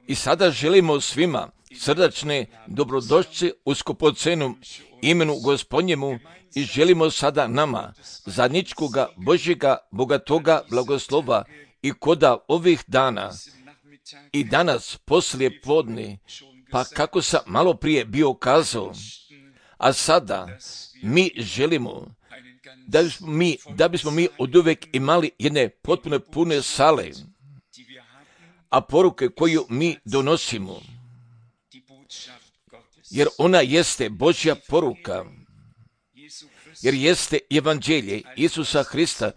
I sada želimo svima srdačne dobrodošlice u skupocenom imenu Gospodnjemu i želimo sada nama zajedničkoga Božjega bogatoga blagoslova i koda ovih dana i danas poslije podne, pa kako sam malo prije bio kazao, a sada mi želimo da bismo mi oduvijek imali jedne potpuno pune sale, a poruke koju mi donosimo, jer ona jeste Božja poruka, jer jeste evanđelje Isusa Hrista,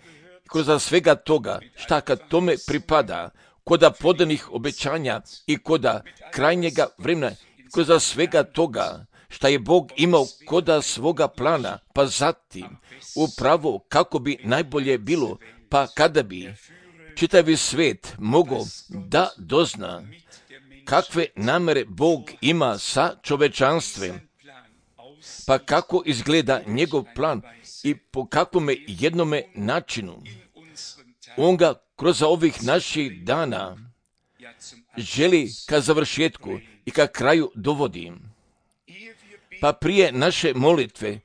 kroz svega toga šta kad tome pripada, koda podanih obećanja i koda krajnjega vremena, kroz svega toga šta je Bog imao koda svoga plana, pa zatim upravo kako bi najbolje bilo, pa kada bi čitavi svijet mogao da dozna kakve namere Bog ima sa čovečanstvom, pa kako izgleda njegov plan i po kakvome jednome načinu on ga kroz ovih naših dana želi ka završetku i ka kraju dovodi. Pa prije naše molitve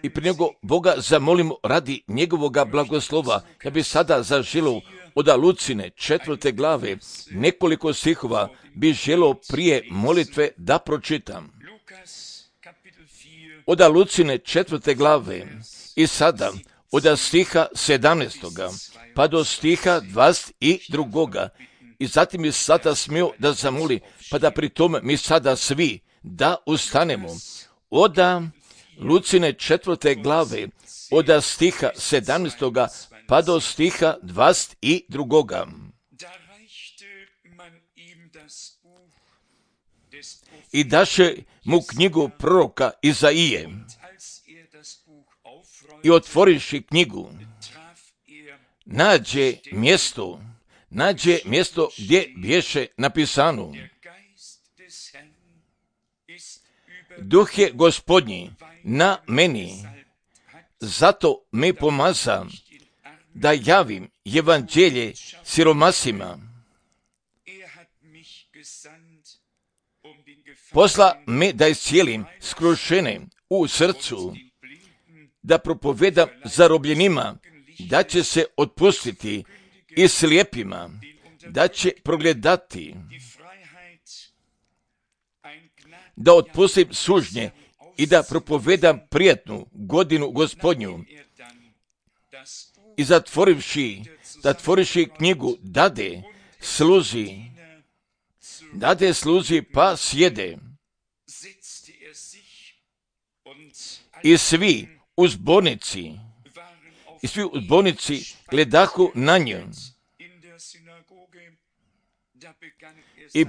i prije nego Boga zamolimo radi njegovoga blagoslova, ja bi sada zaželio od Lucine 4. glave nekoliko stihova bi želio prije molitve da pročitam. Od Lucine 4. glave i sada od stiha 17. pa do stiha 22. I zatim je sada smio da zamoli, pa da pri tome mi sada svi da ustanemo. Od Lucine 4. glave od stiha 17. pa do stiha 22. I daše mu knjigu proroka Izaije. I otvoriši knjigu, nađe mjesto gdje bješe napisano: Duh je Gospodnji na meni, zato me pomaza da javim evanđelje siromasima. Posla me da iscijelim skrušene u srcu, da propovedam zarobljenima, da će se otpustiti i slijepima, da će progledati, da otpustim sužnje i da propovedam prijatnu godinu Gospodnju. I zatvorivši knjigu, dade sluzi pa sjede. I svi u zbornici gledahu na nju. I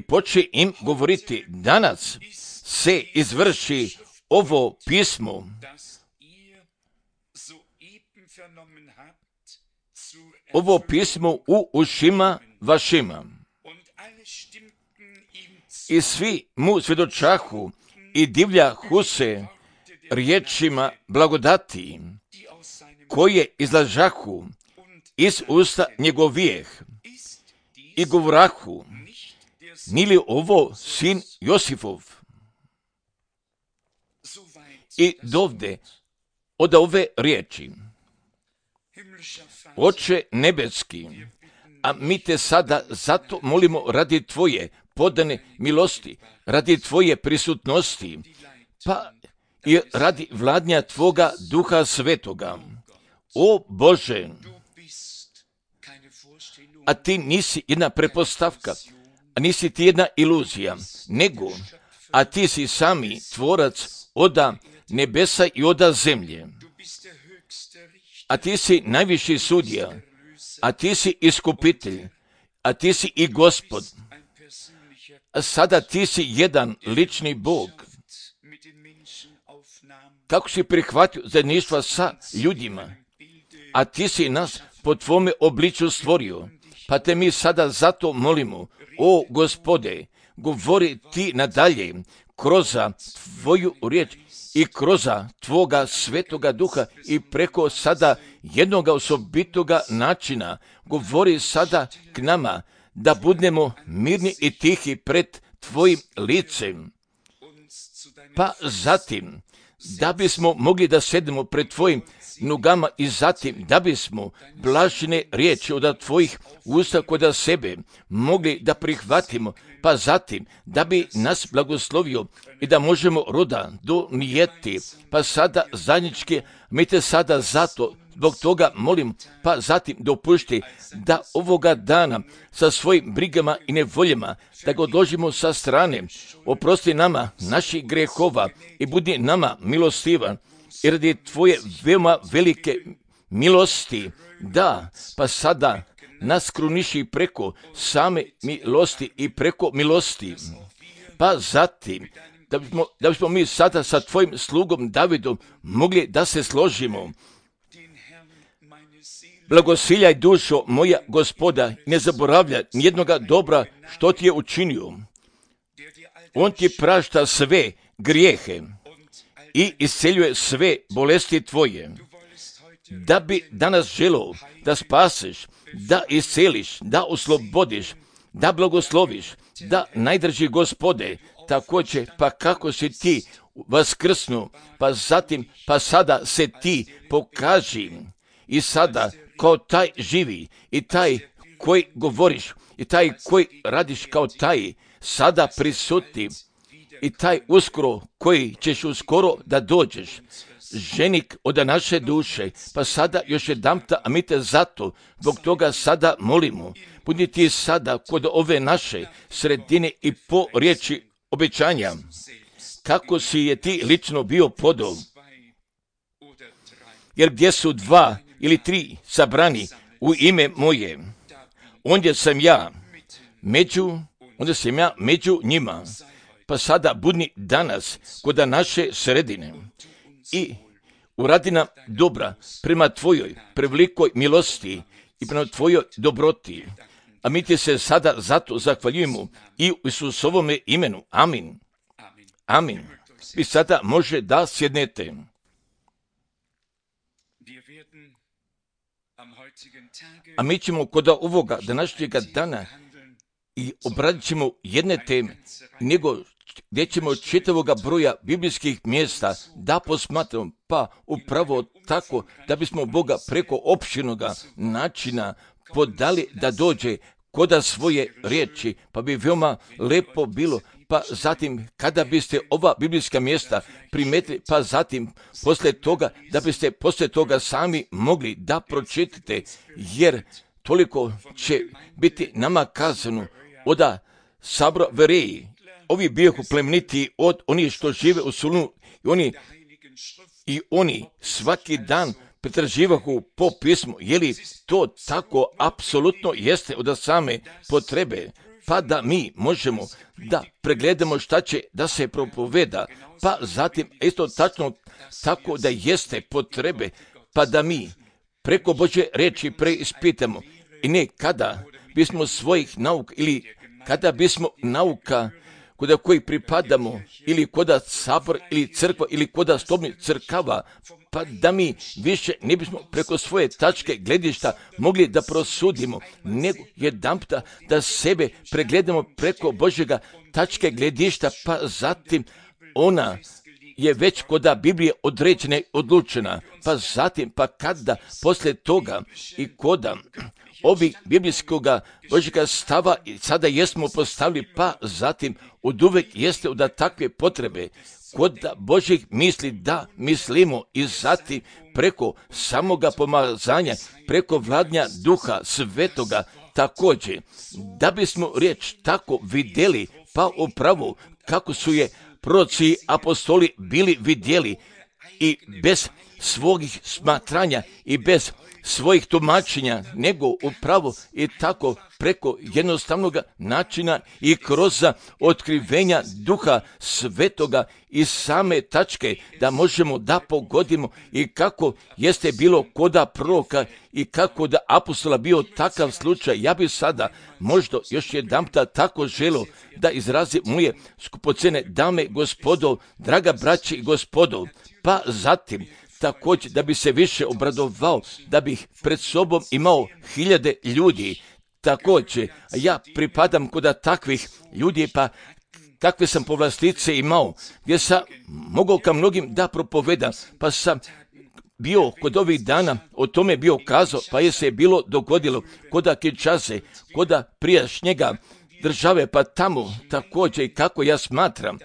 poče im govoriti, danas se izvrši ovo pismo. Ovo pismo u ušima vašima. I svi mu svjedočahu i divljahu se riječima blagodati, koje izlažahu iz usta njegovijeh. I govorahu, ni li ovo sin Josifov? I dovde od ove riječi: Oče nebeski, a mi te sada zato molimo radi tvoje podane milosti, radi tvoje prisutnosti, pa i radi vladnja tvoga Duha Svetoga. O Bože, a ti nisi jedna prepostavka, a nisi ti jedna iluzija, nego, a ti si sami tvorac oda nebesa i oda zemlje. A ti si najviši sudija, a ti si iskupitelj, a ti si i Gospod. A sada ti si jedan lični Bog. Kako si prihvatio zajedništva sa ljudima, a ti si nas po tvome obličju stvorio, pa te mi sada zato molimo, o Gospode, govori ti nadalje kroz tvoju riječ i kroz Tvoga svetoga duha i preko sada jednoga osobitoga načina govori sada k nama da budemo mirni i tihi pred Tvojim licem. Pa zatim, da bismo mogli da sedemo pred Tvojim nogama i zatim da bismo blažene riječi od Tvojih usta kod sebe mogli da prihvatimo, pa zatim da bi nas blagoslovio i da možemo roda donijeti, pa sada zajednički, mi te sada zato zbog toga molim, pa zatim dopušti da ovoga dana sa svojim brigama i nevoljama da ga odložimo sa strane, oprosti nama naših grehova i budi nama milostivan, i radi Tvoje veoma velike milosti, da, pa sada nas kruniši preko same milosti i preko milosti. Pa zatim, da bismo mi sada sa Tvojim slugom Davidom mogli da se složimo. Blagosiljaj dušo moja Gospoda, ne zaboravlja nijednoga dobra što ti je učinio. On ti prašta sve grijehe i isceljuje sve bolesti tvoje. Da bi danas želeo da spaseš, da isceliš, da oslobodiš, da blagosloviš, da najdrži Gospode, također pa kako si ti vaskrsnu, pa zatim, pa sada se ti pokaži i sada kao taj živi i taj koji govoriš i taj koji radiš kao taj sada prisuti i taj uskoro koji ćeš uskoro da dođeš, ženik od naše duše, pa sada još jedanputa, a mi te zato zbog toga sada molimo, budi ti sada kod ove naše sredine i po riječi obećanja, kako si je ti lično bio podol, jer gdje su 2 ili 3 sabrani u ime moje, onda sam ja među njima. Pa sada budni danas kod naše sredine i uradi nam dobra prema Tvojoj prevelikoj milosti i prema Tvojoj dobroti. A mi ti se sada zato zahvaljujemo i u Isusovome imenu. Amin. Amin. Vi sada može da sjednete. A mi ćemo kod ovoga današnjega dana i obradit ćemo jedne teme, nego gdje ćemo čitavoga broja biblijskih mjesta da posmatramo, pa upravo tako da bismo Boga preko opširnoga načina podali da dođe koda svoje riječi, pa bi veoma lepo bilo, pa zatim kada biste ova biblijska mjesta primetili, pa zatim poslije toga, da biste poslije toga sami mogli da pročitate, jer toliko će biti nama kazano od sabra vereji. Ovi bijahu plemeniti od onih što žive u Solunu i oni svaki dan pretraživahu po pismu. Je li to tako apsolutno jeste od same potrebe? Pa da mi možemo da pregledamo šta će da se propoveda, pa zatim isto tačno tako da jeste potrebe, pa da mi preko Božje reči preispitamo i ne kada bismo svojih nauka ili kada bismo nauka koda koji pripadamo ili koda sabor ili crkva ili koda stobnih crkava, pa da mi više ne bismo preko svoje tačke gledišta mogli da prosudimo, nego jedanputa da sebe pregledamo preko Božjega tačke gledišta, pa zatim ona je već koda Biblije određena i odlučena, pa zatim, pa kada poslije toga i koda ovih biblijskoga Božjega stava sada jesmo postavili, pa zatim oduvek jeste od takve potrebe kod Božjih misli da mislimo i zatim preko samoga pomazanja, preko vladnja Duha Svetoga također, da bismo riječ tako vidjeli, pa upravo kako su je proroci apostoli bili vidjeli i bez svojih smatranja i bez svojih tumačenja, nego upravo i tako preko jednostavnog načina i kroz otkrivenja Duha Svetoga i same tačke da možemo da pogodimo i kako jeste bilo koda proroka i kako da apostola bio takav slučaj. Ja bih sada možda još jedanputa tako želio da izrazi moje skupocene dame, gospodo, draga braće i gospodo, pa zatim također da bi se više obradovao, da bih pred sobom imao 1000 ljudi. Također, ja pripadam kod takvih ljudi, pa kakve sam povlastice imao, gdje sam mogao ka mnogim da propovedam, pa sam bio kod ovih dana, o tome bio kazao, pa je se bilo dogodilo koda Kinshase, koda prijašnjega države, pa tamo također i kako ja smatram,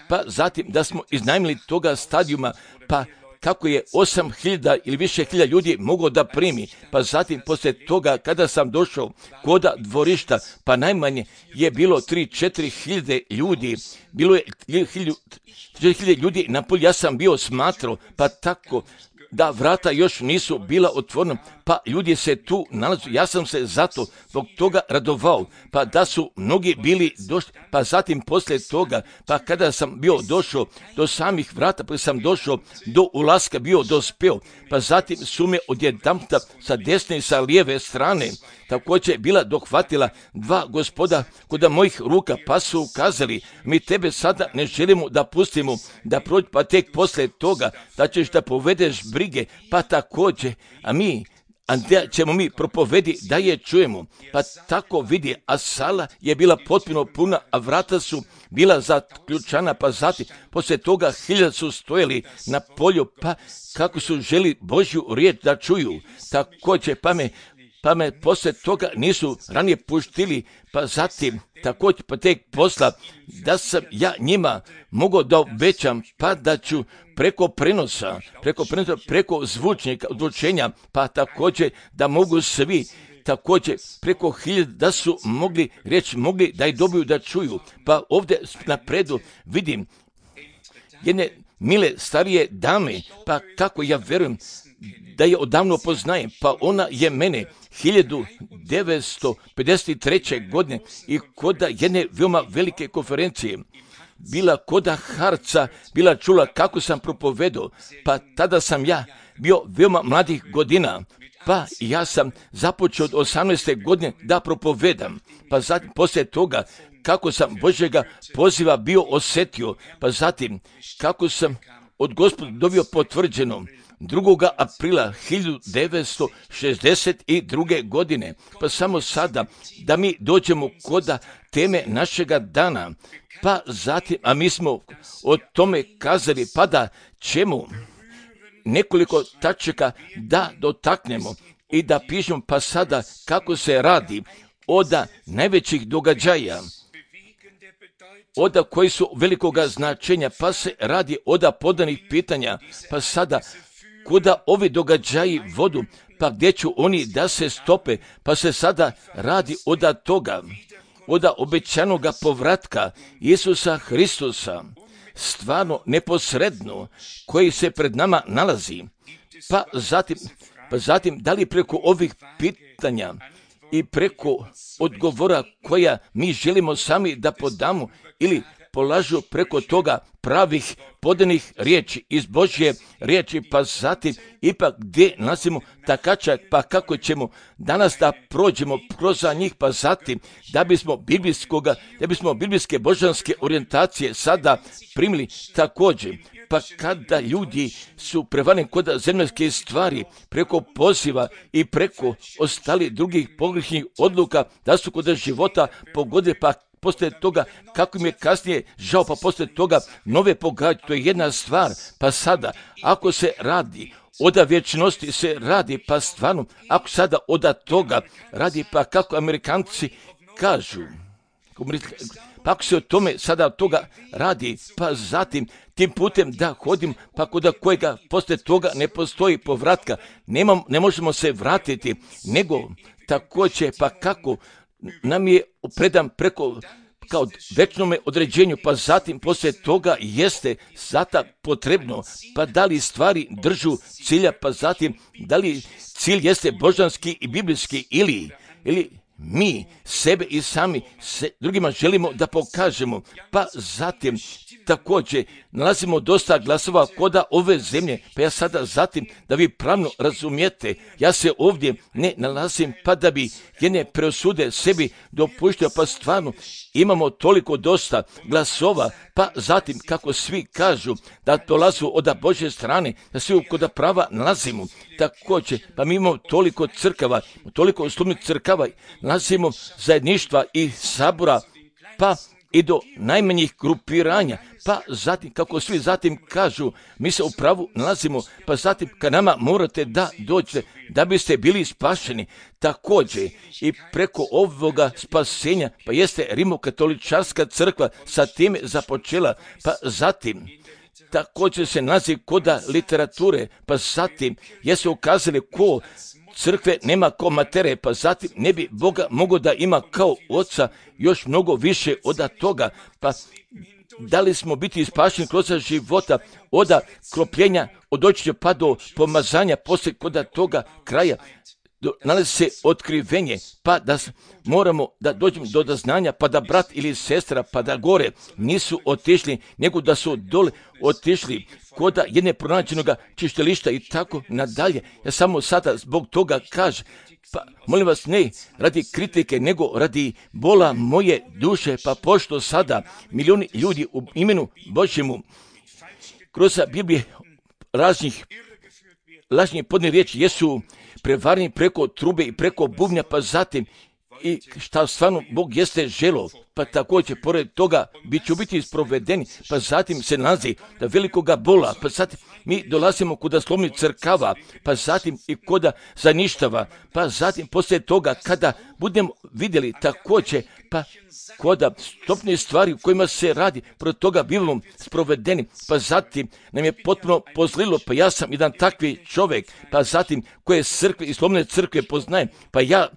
pa zatim da smo iznajmili toga stadijuma, pa kako je 8000 ili više hiljada ljudi mogao da primi, pa zatim poslije toga kada sam došao koda dvorišta, pa najmanje je bilo 3-4 hiljade ljudi, bilo je 1000 ljudi na polju, ja sam bio smatrao, pa tako da vrata još nisu bila otvorena, pa ljudi se tu nalazu, ja sam se zato zbog toga radovao, pa da su mnogi bili došli, pa zatim poslije toga, pa kada sam bio došao do samih vrata, pa sam došao do ulaska, bio dospeo, pa zatim su me odjedanputa sa desne i sa lijeve strane također bila dohvatila 2 gospoda kod mojih ruka, pa su ukazali, mi tebe sada ne želimo da pustimo da prođe, pa tek poslije toga da ćeš da povedeš brige, pa također, a da ćemo mi propovedi da je čujemo, pa tako vidi, a sala je bila potpuno puna, a vrata su bila zaključana, pa zatim poslije toga 1000 su stojali na polju, pa kako su želi Božju riječ da čuju, također pa me poslije toga nisu ranije puštili, pa zatim također pa tek posla da sam ja njima mogao da obećam, pa da ću preko prenosa, preko zvučenja, pa također da mogu svi također preko 1000 da su mogli da i dobiju da čuju. Pa ovdje napredu vidim jedne mile starije dame, pa kako ja verujem da je odavno poznajem, pa ona je mene 1953. godine i koda jedne veoma velike konferencije bila koda Harca, bila čula kako sam propovedao, pa tada sam ja bio veoma mladih godina, pa ja sam započeo od 18. godine da propovedam, pa zatim poslije toga kako sam Božjega poziva bio osjetio, pa zatim kako sam od Gospoda dobio potvrđeno 2. aprila 1962. godine, pa samo sada da mi dođemo koda teme našega dana, pa zatim, a mi smo o tome kazali, pa da ćemo nekoliko tačaka da dotaknemo i da pišemo, pa sada kako se radi od najvećih događaja, od koji su velikoga značenja, pa se radi od podanih pitanja, pa sada kuda ovi događaji vodu, pa gdje ću oni da se stope, pa se sada radi od toga, od obećanoga povratka Isusa Hristusa, stvarno neposredno, koji se pred nama nalazi, pa zatim da li preko ovih pitanja i preko odgovora koja mi želimo sami da podamo ili polažu preko toga pravih podanih riječi iz Božje riječi, pa zatim ipak gdje nalazimo takačak, pa kako ćemo danas da prođemo kroz njih, pa zatim da bismo biblijske božanske orijentacije sada primili također. Pa kada ljudi su prevareni kod zemaljske stvari preko poziva i preko ostali drugih pogrešnih odluka da su kod života pogodili, pa poslije toga kako im je kasnije žao, pa poslije toga nove pogađaju, to je jedna stvar. Pa sada ako se radi od vječnosti se radi, pa stvarno ako sada od toga radi, pa kako Amerikanci kažu, pa ako se o tome sada od toga radi, pa zatim tim putem da hodim, pa kod kojega poslije toga ne postoji povratka, ne možemo se vratiti, nego također pa kako nam je predan preko kao večnome određenju, pa zatim poslije toga jeste zata potrebno, pa da li stvari držu cilja, pa zatim da li cilj jeste božanski i biblijski ili mi sebe i sami drugima želimo da pokažemo, pa zatim također nalazimo dosta glasova koda ove zemlje, pa ja sada zatim da vi pravno razumijete, ja se ovdje ne nalazim pa da bi jedne preosude sebi dopuštio, pa stvarno imamo toliko dosta glasova, pa zatim kako svi kažu da dolazu od Božje strane, da svi kod prava nalazimo, također pa mi imamo toliko crkava, toliko slobodnih crkava, nalazimo zajedništva i sabora, pa i do najmanjih grupiranja, pa zatim, kako svi zatim kažu, mi se u pravu nalazimo, pa zatim kad nama morate da dođete, da biste bili spašeni, također i preko ovoga spasenja, pa jeste Rimokatoličarska crkva sa time započela, pa zatim također se nalazi koda literature, pa zatim jesu ukazali ko crkve nema ko matere, pa zatim ne bi Boga mogao da ima kao oca još mnogo više od toga, pa da li smo biti spašeni kroz života od kropljenja, od očišća pa do pomazanja, poslije kod toga kraja nalazi se otkrivenje, pa da moramo da dođemo do doznanja, pa da brat ili sestra, pa da gore nisu otišli, nego da su dole otišli koda jedne pronađenoga čištilišta i tako nadalje. Ja samo sada zbog toga kažem, pa molim vas ne radi kritike, nego radi bola moje duše, pa pošto sada milijuni ljudi u imenu Božjemu kroz Biblije lažnih podne riječi jesu prevarni preko trube i preko bubnja, pa zatim i šta stvarno Bog jeste želo, pa također pored toga ću biti isprovedeni, pa zatim se nalazi da velikoga bola, pa zatim mi dolazimo kod slobodnih crkava, pa zatim i kod zaništava, pa zatim poslije toga kada budemo vidjeli također, pa kod stopne stvari u kojima se radi, protiv toga bivamo sprovedeni, pa zatim nam je potpuno pozlilo, pa ja sam jedan takvi čovjek, pa zatim koje crkve i slobodne crkve poznajem, pa ja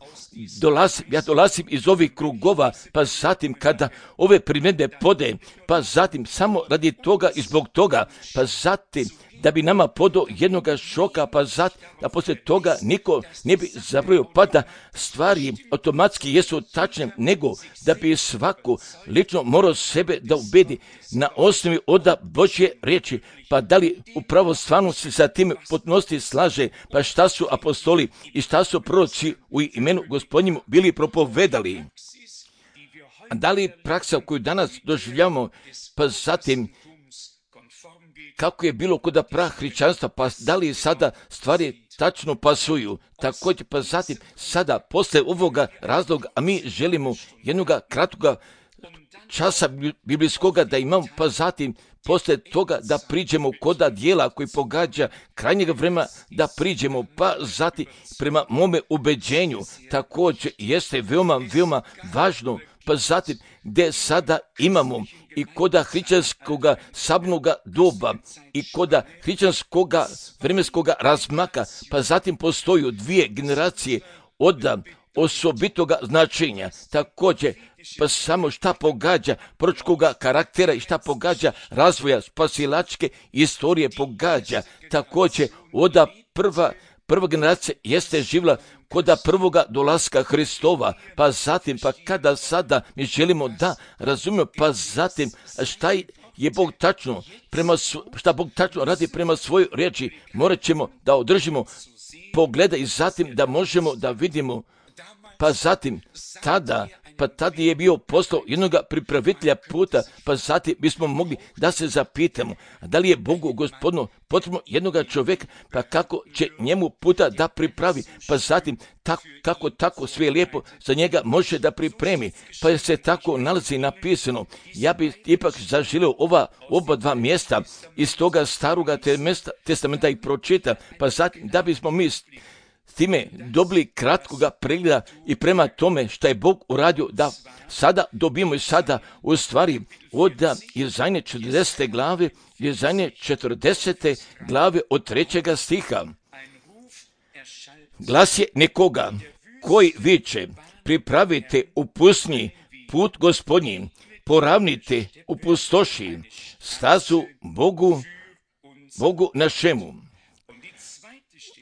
dolazim iz ovih krugova, pa zatim kada ove primjedbe podajem, pa zatim samo radi toga i zbog toga, pa zatim da bi nama podao jednoga šoka, pa zatim da poslije toga niko ne bi zabrojio, pa da stvari automatski jesu tačne, nego da bi svako lično morao sebe da ubedi na osnovi od Božje riječi, pa da li upravo stvarno se sa tim potpunosti slaže, pa šta su apostoli i šta su proroci u imenu Gospodnjemu bili propovedali. A da li praksa koju danas doživljavamo, pa zatim kako je bilo kod prahrišćanstva, pa da li sada stvari tačno pasuju, također pa zatim sada posle ovoga razloga, a mi želimo jednoga kratkoga časa biblijskoga da imamo, pa zatim posle toga da priđemo koda dijela koji pogađa krajnjega vremena, da priđemo, pa zatim prema mome ubeđenju također jeste veoma važno, pa zatim gdje sada imamo i koda hrišćanskoga sabnoga doba i koda hrišćanskoga vremenskoga razmaka, pa zatim postoju dvije generacije od osobitoga značenja. Također, pa samo šta pogađa proročkoga karaktera i šta pogađa razvoja spasilačke istorije pogađa. Također, od prva generacija jeste živjela koda prvoga dolaska Hristova, pa zatim, pa kada sada mi želimo da razumijemo, pa zatim šta je Bog tačno, šta Bog tačno radi prema svojoj riječi, morat ćemo da održimo pogleda i zatim da možemo da vidimo, pa zatim tada je bio poslao jednoga pripravitelja puta, pa zatim bismo mogli da se zapitamo, da li je Bogu Gospodinu potrebno jednoga čovjeka, pa kako će njemu puta da pripravi, pa zatim kako tako sve lijepo za njega može da pripremi, pa se tako nalazi napisano. Ja bih ipak zaželio oba dva mjesta iz toga staroga testamenta i pročita, pa zatim da bismo mi s time dobili kratkoga pregleda i prema tome što je Bog uradio, da sada dobijemo i sada u stvari od Jesaje 40. glave, Jesaje 40. glave od 3. stiha. Glas je nekoga koji viče, pripravite u pustinji put Gospodnji, poravnite u pustoši, stazu Bogu našemu.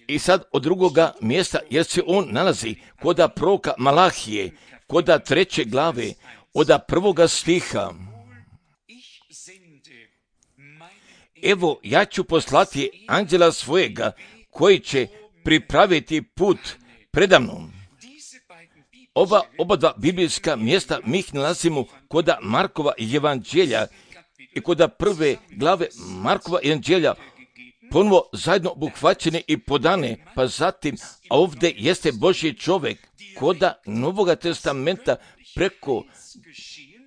I sad od drugoga mjesta, jer se on nalazi koda proroka Malahije, koda 3. glave, od 1. stiha. Evo, ja ću poslati anđela svojega, koji će pripraviti put predamnom. Oba dva biblijska mjesta mi ih nalazimo koda Markova evanđelja i koda 1. glave Markova evanđelja, ponovo zajedno obuhvaćene i podane, pa zatim, a ovdje jeste Božji čovjek, koda Novoga testamenta preko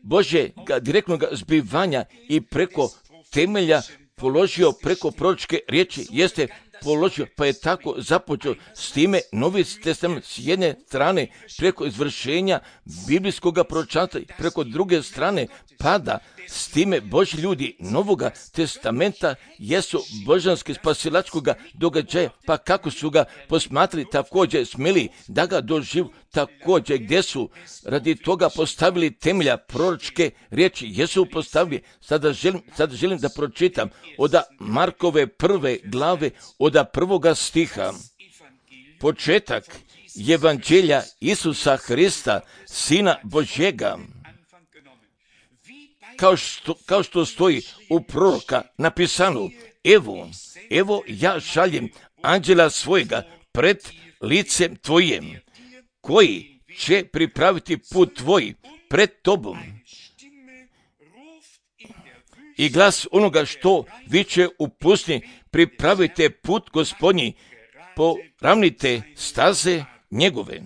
Božjega direktnog zbivanja i preko temelja položio preko proročke riječi, jeste položio, pa je tako započeo s time Novi testament s jedne strane preko izvršenja biblijskog proročanstva, preko druge strane pada s time Božji ljudi Novoga testamenta jesu božanski spasilačkoga događaja, pa kako su ga posmatrali, također smjeli da ga doživu, također gdje su radi toga postavili temelja proročke riječi, jesu postavili. Sada želim da pročitam od Markove 1. glave od 1. stiha. Početak evanđelja Isusa Hrista, Sina Božjega, kao što stoji u proroka napisano, evo ja šaljem anđela svojega pred licem tvojim, koji će pripraviti put tvoj pred tobom. I glas onoga što viče u pustinji, pripravite put Gospodnji, poravnite staze njegove.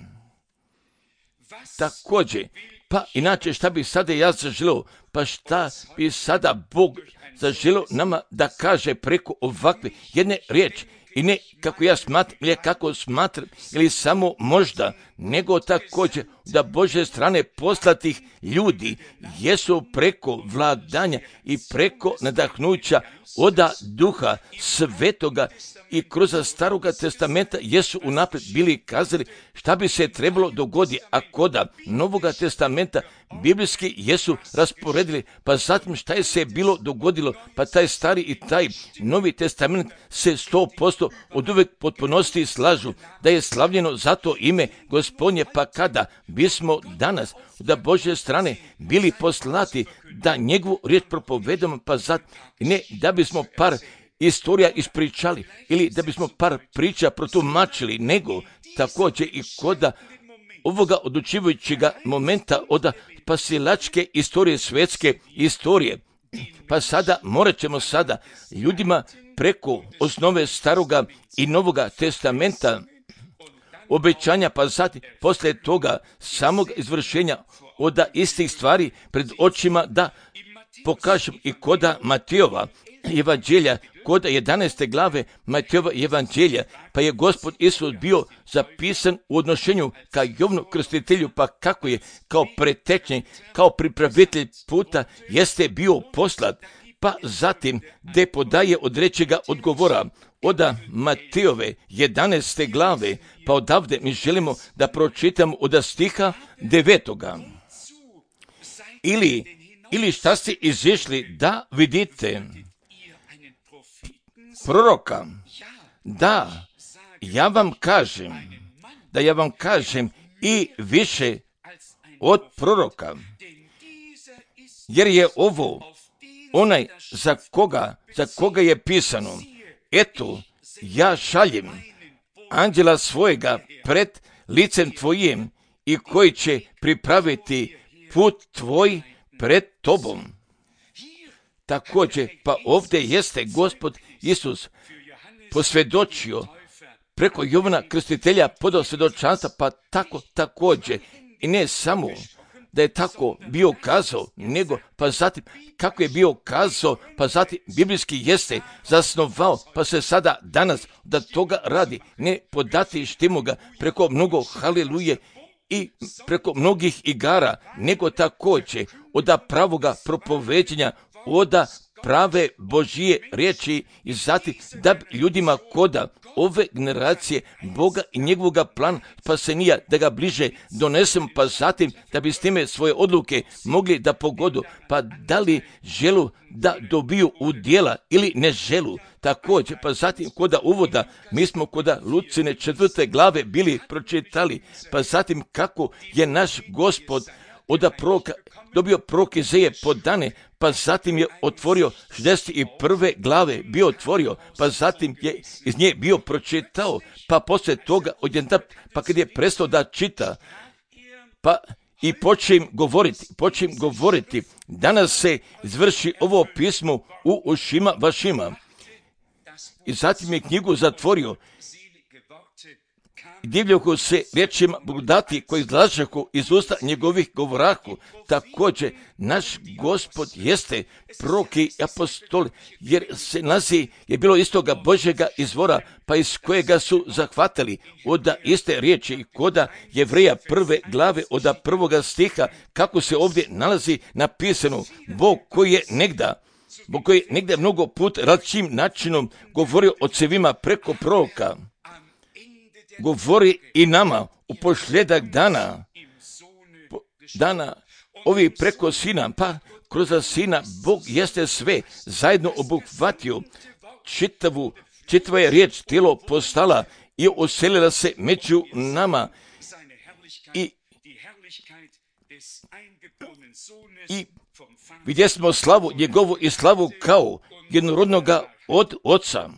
Također, pa inače šta bi sada ja zaželio, pa šta bi sada Bog zaželio nama da kaže preko ovakve jedne riječi, i ne kako ja smatram, ili kako smatram, ili samo možda, nego također da Božje strane poslatih ljudi jesu preko vladanja i preko nadahnuća oda Duha Svetoga i kroz Staroga testamenta jesu unaprijed bili kazali šta bi se trebalo dogoditi, a koda Novoga testamenta biblijski jesu rasporedili, pa zatim šta je se bilo dogodilo, pa taj stari i taj Novi testament se 100% od uvek potpunosti slažu da je slavljeno zato ime Gospodnje, pa kada bismo danas da Božje strane bili poslati da njegovu riječ propovedamo, pa zatim ne da bismo par istorija ispričali ili da bismo par priča protumačili, nego također i koda ovoga odlučivajućega momenta od spasilačke istorije, svjetske istorije. Pa sada morat ćemo sada ljudima preko osnove Staroga i Novoga testamenta obećanja, pa zatim poslije toga samog izvršenja od istih stvari pred očima da pokažem i koda Matejova evanđelja, kod 11. glave Matejova evanđelja, pa je Gospod Isus bio zapisan u odnošenju ka Jovanu Krstitelju, pa kako je kao pretečnik, kao pripravitelj puta jeste bio poslat, pa zatim gdje podaje odrećega odgovora od Matejove 11. glave, pa odavde mi želimo da pročitamo od stiha 9. Ili šta ste izišli da vidite? Proroka. Da, ja vam kažem i više od proroka. Jer je ovo onaj za koga je pisano. Eto, ja šaljem anđela svojega pred licem tvojim i koji će pripraviti put tvoj pred tobom. Također, pa ovdje jeste Gospod Isus posvjedočio preko Jovana Krstitelja podao svjedočanstva, pa tako također i ne samo da je tako bio kazao, nego pa zatim kako je bio kazao, pa zatim biblijski jeste zasnovao, pa se sada danas da toga radi, ne podati štimo ga preko mnogo haliluje i preko mnogih igara, nego također od pravoga propoveđenja, od prave Božije riječi i zatim da bi ljudima koda ove generacije Boga i njegovoga plana spasenija da ga bliže donesem, pa zatim da bi s time svoje odluke mogli da pogodu, pa da li želu da dobiju u djela ili ne želu. Također, pa zatim koda uvoda, mi smo koda Lucine 4. glave bili pročitali, pa zatim kako je naš Gospod od proroka dobio prorok Izaije podane, pa zatim je otvorio 61. glave, bio otvorio, pa zatim je iz nje bio pročitao, pa poslije toga pa kad je prestao da čita, pa i počnem govoriti, danas se izvrši ovo pismo u ušima vašima. I zatim je knjigu zatvorio, divljahu se riječima blagodati koji izlažahu iz usta njegovih govorahu. Također, naš Gospod jeste prorok i apostol, jer se nazi je bilo istoga Božjega izvora, pa iz kojega su zahvatili od iste riječi koda Jevreja 1. glave od 1. stiha, kako se ovdje nalazi napisano, Bog koji je negdje mnogo put različitim načinom govorio ocevima preko proroka, govori i nama u posljedak dana ovi preko sina, pa kroz sina Bog jeste sve zajedno obuhvatio, čitava je riječ tijelo postala i oselila se među nama i vidjeli smo slavu njegovu i slavu kao jednorodnoga od Oca.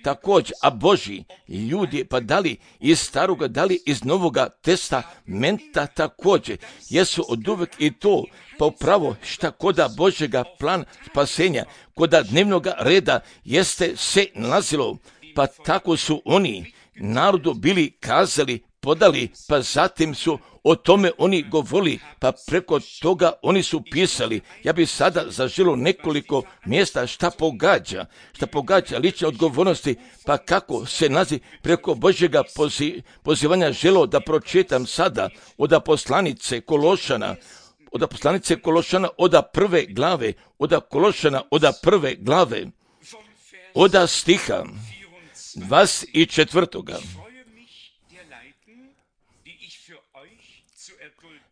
Također, a Božji ljudi, pa dali iz staroga, dali iz novoga testamenta također, jesu od uvek i to pa upravo šta koda Božjega plan spasenja, koda dnevnoga reda jeste se nalazilo, pa tako su oni narodu bili kazali, podali, pa zatim su o tome oni govorili, pa preko toga oni su pisali. Ja bih sada zaželio nekoliko mjesta šta pogađa lične odgovornosti, pa kako se nazi preko Božjega pozivanja želio da pročitam sada od poslanice Kološana, od 1. glave, od Kološana, od 1. glave, od stiha 24.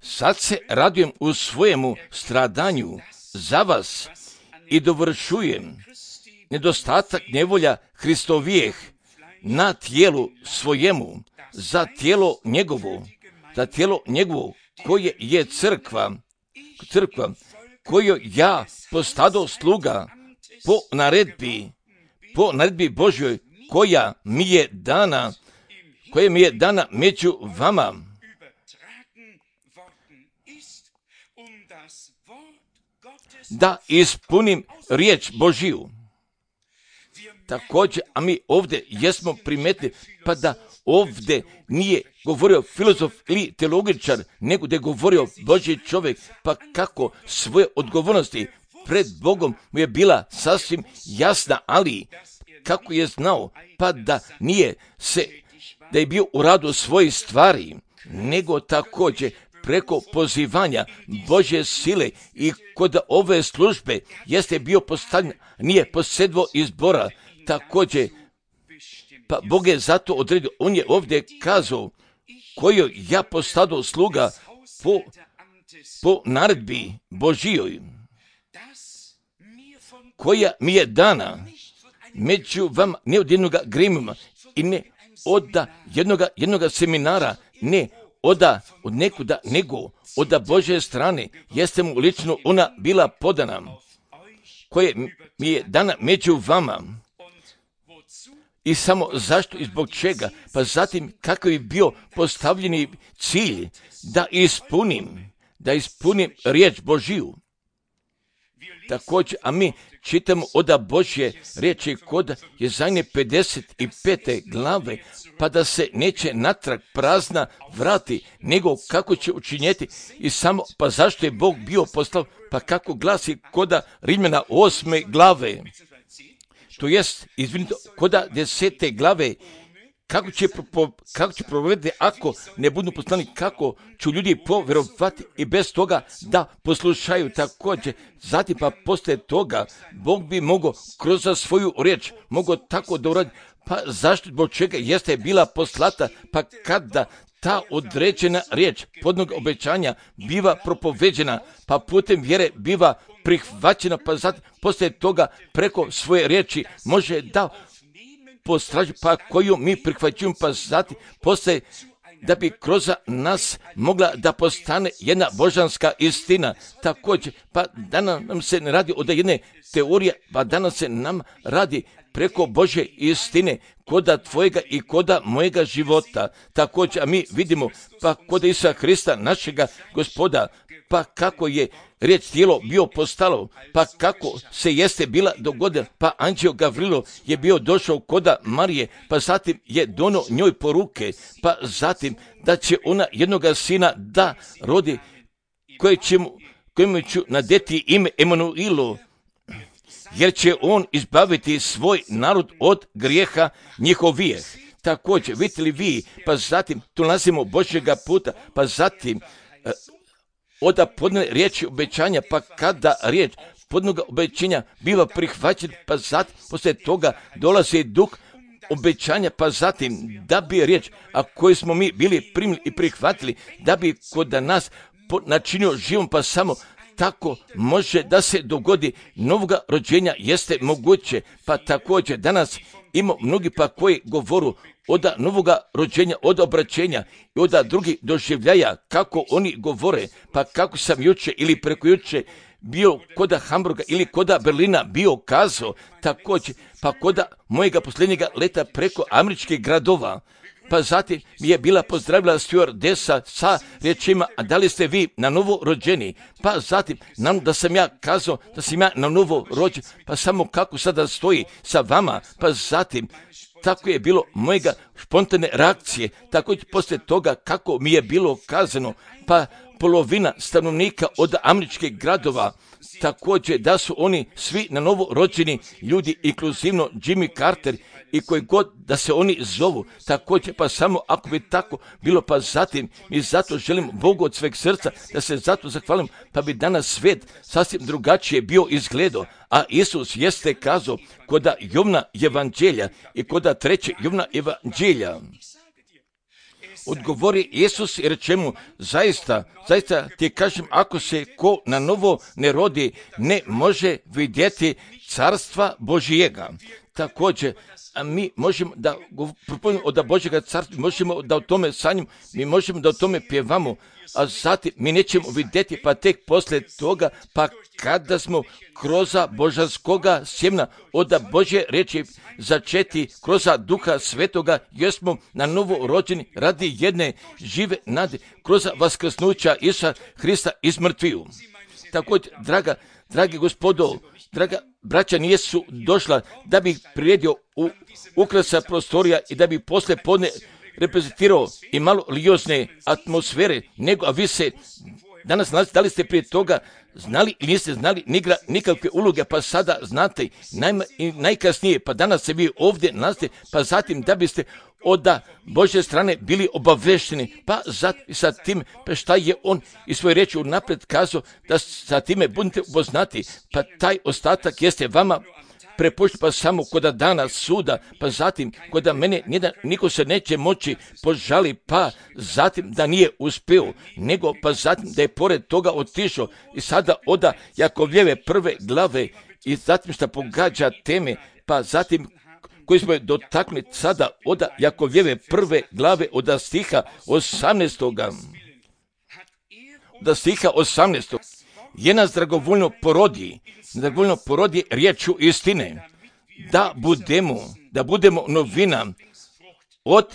Sad se radujem u svojemu stradanju za vas i dovršujem nedostatak nevolja Hristovijeh na tijelu svojemu, za tijelo njegovo koje je crkva, koju ja postado sluga po naredbi Božjoj koja mi je dana među vama, da ispunim riječ Božiju. Također, a mi ovdje jesmo primetili, pa da ovdje nije govorio filozof ili teologičar, nego da je govorio Božji čovjek, pa kako svoje odgovornosti pred Bogom mu je bila sasvim jasna, ali kako je znao, pa da je bio u radu svojih stvari, nego također preko pozivanja Božje sile i kod ove službe jeste bio postavljen, nije posedvo izbora, također, pa Bog je zato odredio, on je ovdje kazao, koju ja postado sluga po naredbi Božijoj, koja mi je dana među vama, ne od jednoga grimima i ne od jednoga seminara, ne od nekuda, nego od Božje strane, jeste mu lično ona bila podana, koja mi je dana među vama. I samo zašto i zbog čega? Pa zatim kakav je bio postavljeni cilj da ispunim riječ Božiju. Također, a mi čitamo od Božje riječi kod Jezajne 55. glave, pa da se neće natrag prazna vrati, nego kako će učinjeti i samo, pa zašto je Bog bio poslao, pa kako glasi koda Rimljana 8. glave, to jest, koda 10. glave, kako će provediti ako ne budu poslani, kako će ljudi povjerovati i bez toga da poslušaju također. Zatim pa poslije toga Bog bi mogao kroz svoju riječ mogao tako da uradi. Pa zašto, zbog čega jeste bila poslata, pa kada ta određena riječ podnog obećanja biva propoveđena, pa putem vjere biva prihvaćena, pa zatim poslije toga preko svoje riječi može da postraži, pa koju mi prihvaćujemo, pa zatim poslije da bi kroz nas mogla da postane jedna božanska istina. Također, pa danas nam se ne radi od jedne teorije, pa danas se nam radi preko Božje istine, koda tvojega i koda mojega života. Također, a mi vidimo, pa koda Isusa Hrista, našega Gospoda, pa kako je riječ tijelo bio postalo, pa kako se jeste bila dogodila, pa anđeo Gavrilo je bio došao koda Marije, pa zatim je dono njoj poruke, pa zatim da će ona jednoga sina da rodi, kojemu ću nadeti ime Emanuilo, jer će on izbaviti svoj narod od grijeha njihovih. Također, vidite li vi, pa zatim tu nalazimo Božjega puta, pa zatim oda podne riječi obećanja, pa kada riječ podnoga obećanja biva prihvaćen, pa zatim poslije toga dolazi duh obećanja, pa zatim da bi riječ, a koju smo mi bili primili i prihvatili, da bi kod nas načinio živom, pa samo tako može da se dogodi novoga rođenja, jeste moguće. Pa također danas ima mnogi pa koji govoru od novoga rođenja, od obraćenja i od drugih doživljaja, kako oni govore, pa kako sam juče ili preko juče bio koda Hamburga ili koda Berlina bio kazao, također pa koda mojega posljednjega leta preko američkih gradova. Pa zatim mi je bila pozdravila stewardesa sa riječima, a da li ste vi na novo rođeni? Pa zatim da sam ja kazao da sam ja na novo rođen, pa samo kako sada stoji sa vama, pa zatim tako je bilo mojega spontane reakcije, također poslije toga kako mi je bilo kazano, pa polovina stanovnika od američkih gradova, također da su oni svi na novo rođeni ljudi, inkluzivno Jimmy Carter i koji god da se oni zovu, također pa samo ako bi tako bilo, pa zatim i zato želim Bogu od sveg srca da se zato zahvalim, pa bi danas svijet sasvim drugačije bio izgledao, a Isus jeste kazao koda Jovna evanđelja i koda 3. Jovna evanđelja. Odgovori Isus i reče mu, zaista ti kažem, ako se ko na novo ne rodi, ne može vidjeti carstva Božijega. Također, a mi možemo da propovjedamo od Božjega carstva, možemo da o tome sanjamo, mi možemo da o tome pjevamo, a zatim mi nećemo vidjeti, pa tek poslije toga, pa kada smo kroz božanskoga sjemna od Božje riječi začeti kroz Duha Svetoga, jer smo na novo rođeni radi jedne žive nade, kroz vaskrsnuća Isusa Hrista iz mrtviju. Također, dragi gospodo, draga braća, nisu došla da bi priredio ukrasa prostorija i da bi poslije podne reprezentirao i malo liozne atmosfere, nego, a vi se danas nalazite, da li ste prije toga znali ili niste znali, nikakve uloge, pa sada znate i najkasnije, pa danas se vi ovdje nalazite, pa zatim da biste od Božje strane bili obavešteni, pa zatim sa tim, pa šta je on i svoje riječi unaprijed kazao, da sa time budete upoznati, pa taj ostatak jeste vama prepušten, pa samo koda dana suda, pa zatim koda mene niko se neće moći požali, pa zatim da nije uspio, nego pa zatim da je pored toga otišao i sada oda Jakovljeve prve glave i zatim što pogađa teme, pa zatim koji smo je dotakli sada od Jakovljeve prve glave od stiha 18. Od stiha 18. Je nas dragovoljno porodi riječu istine, da budemo novina od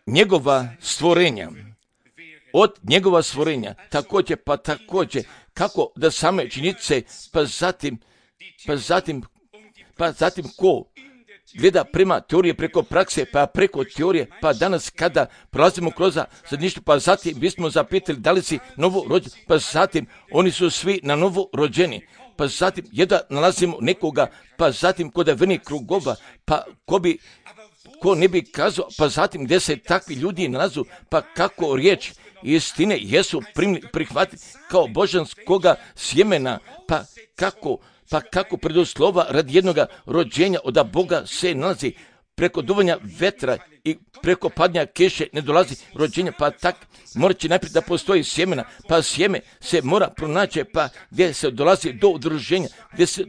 njegova stvorenja. Također, kako da same činjenice, pa zatim ko gleda prema teorije preko prakse, pa preko teorije, pa danas kada prolazimo kroz zajedništvo, pa zatim bismo zapitali da li si novo rođen, pa zatim oni su svi na novo rođeni, pa zatim jedva nalazimo nekoga, pa zatim kod vernih krugova, pa ko bi ko ne bi kazao, pa zatim gdje se takvi ljudi nalazu, pa kako riječ istine jesu prihvatiti kao božanskoga sjemena, pa kako preduslova radi jednoga rođenja od Boga se nalazi, preko duvanja vetra i preko padnja kiše ne dolazi rođenja, pa tak mora će najprije da postoji sjemena, pa sjeme se mora pronaći, pa gdje se dolazi do udruženja, gdje se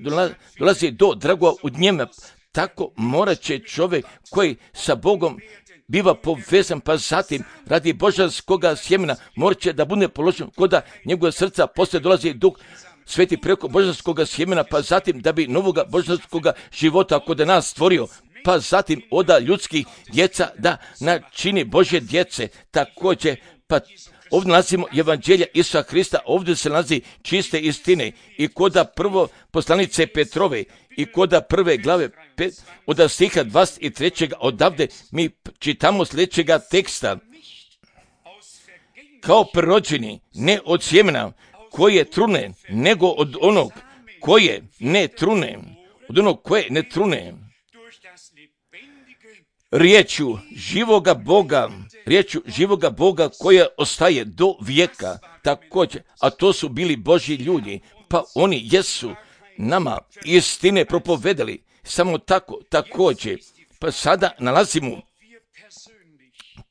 dolazi do dragova u njeme, tako morat će čovjek koji sa Bogom biva povezan, pa zatim radi božanskoga sjemena morat će da bude položen kod njegova srca, poslije dolazi Duh Sveti preko božanskoga sjemena, pa zatim da bi novoga božanskoga života kod nas stvorio, pa zatim oda ljudskih djeca da načini Božje djece. Također, pa ovdje nalazimo evanđelja Isusa Hrista, ovdje se nalazi čiste istine i koda prvo poslanice Petrove i koda prve glave od stiha 23. odavde mi čitamo sljedećega teksta. Kao prerođeni, ne od sjemena koje trune, nego od onog koje ne trune, od onog koje ne trune. Riječju živoga Boga koja ostaje do vijeka, također, a to su bili Božji ljudi, pa oni jesu nama istine propovedali, samo tako, također, pa sada nalazimo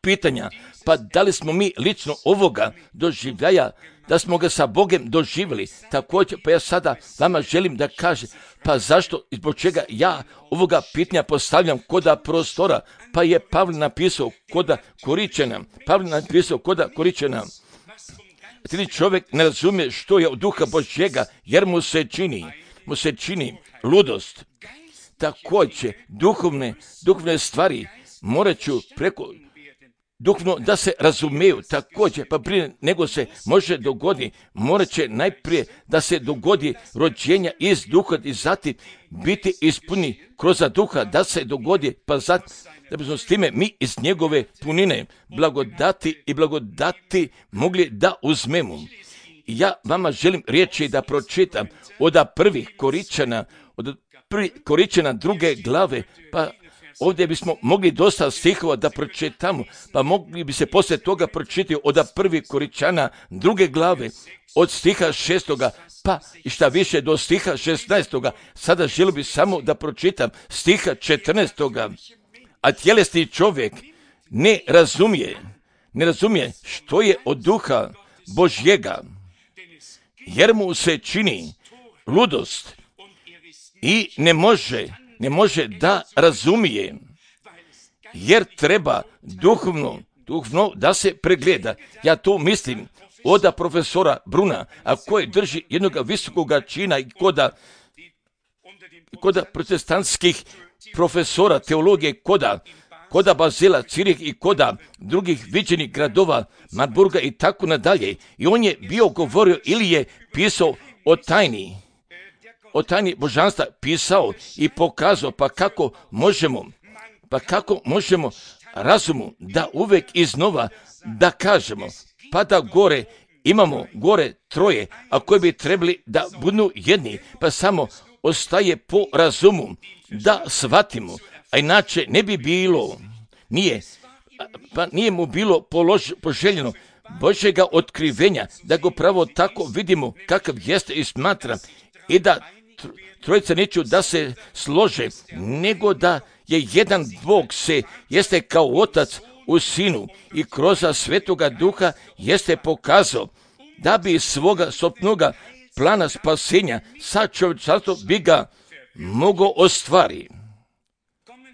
pitanja, pa da li smo mi lično ovoga doživljaja, da smo ga sa Bogom doživjeli, također, pa ja sada vama želim da kažem, pa zašto i zbog čega ja ovoga pitanja postavljam koda prostora, pa je Pavle napisao koda Koričana. Ti čovjek ne razumije što je od Duha Božjega, jer mu se čini ludost. Također, duhovne stvari morat ću preko duhovno da se razumeju, također, pa prije nego se može dogoditi, morat će najprije da se dogodi rođenja iz duha i zatim biti ispuni kroz duha, da se dogodi, pa zatim da bismo s time mi iz njegove punine blagodati mogli da uzmemo. Ja vama želim riječi da pročitam od prvih Koričana druge glave, pa ovdje bismo mogli dosta stihova da pročitamo, pa mogli bi se poslije toga pročitati od prvih Koričana druge glave, od stiha 6. pa i šta više do stiha 16. Sada želim bi samo da pročitam stiha 14. A tjelesni čovjek ne razumije što je od Duha Božjega, jer mu se čini ludost i ne može da razumije, jer treba duhovno da se pregleda. Ja to mislim od profesora Bruna, a koji drži jednog visokog čina i koda protestantskih profesora teologije, koda Bazela, Cirih i koda drugih viđenih gradova, Marburga i tako nadalje. I on je bio govorio ili je pisao o tajni božanstva, pisao i pokazao, pa kako možemo razumu da uvek iznova da kažemo, pa da gore imamo troje, a koji bi trebali da budu jedni, pa samo ostaje po razumu da shvatimo, a inače ne bi bilo, nije mu bilo poželjeno Božjega otkrivenja, da ga pravo tako vidimo kakav jeste i smatram, i da trojica neću da se slože, nego da je jedan Bog jeste kao Otac u Sinu i kroz Svetoga Duha jeste pokazao da bi svoga sopnoga plana spasenja sa čovječanstvom bi ga mogao ostvariti.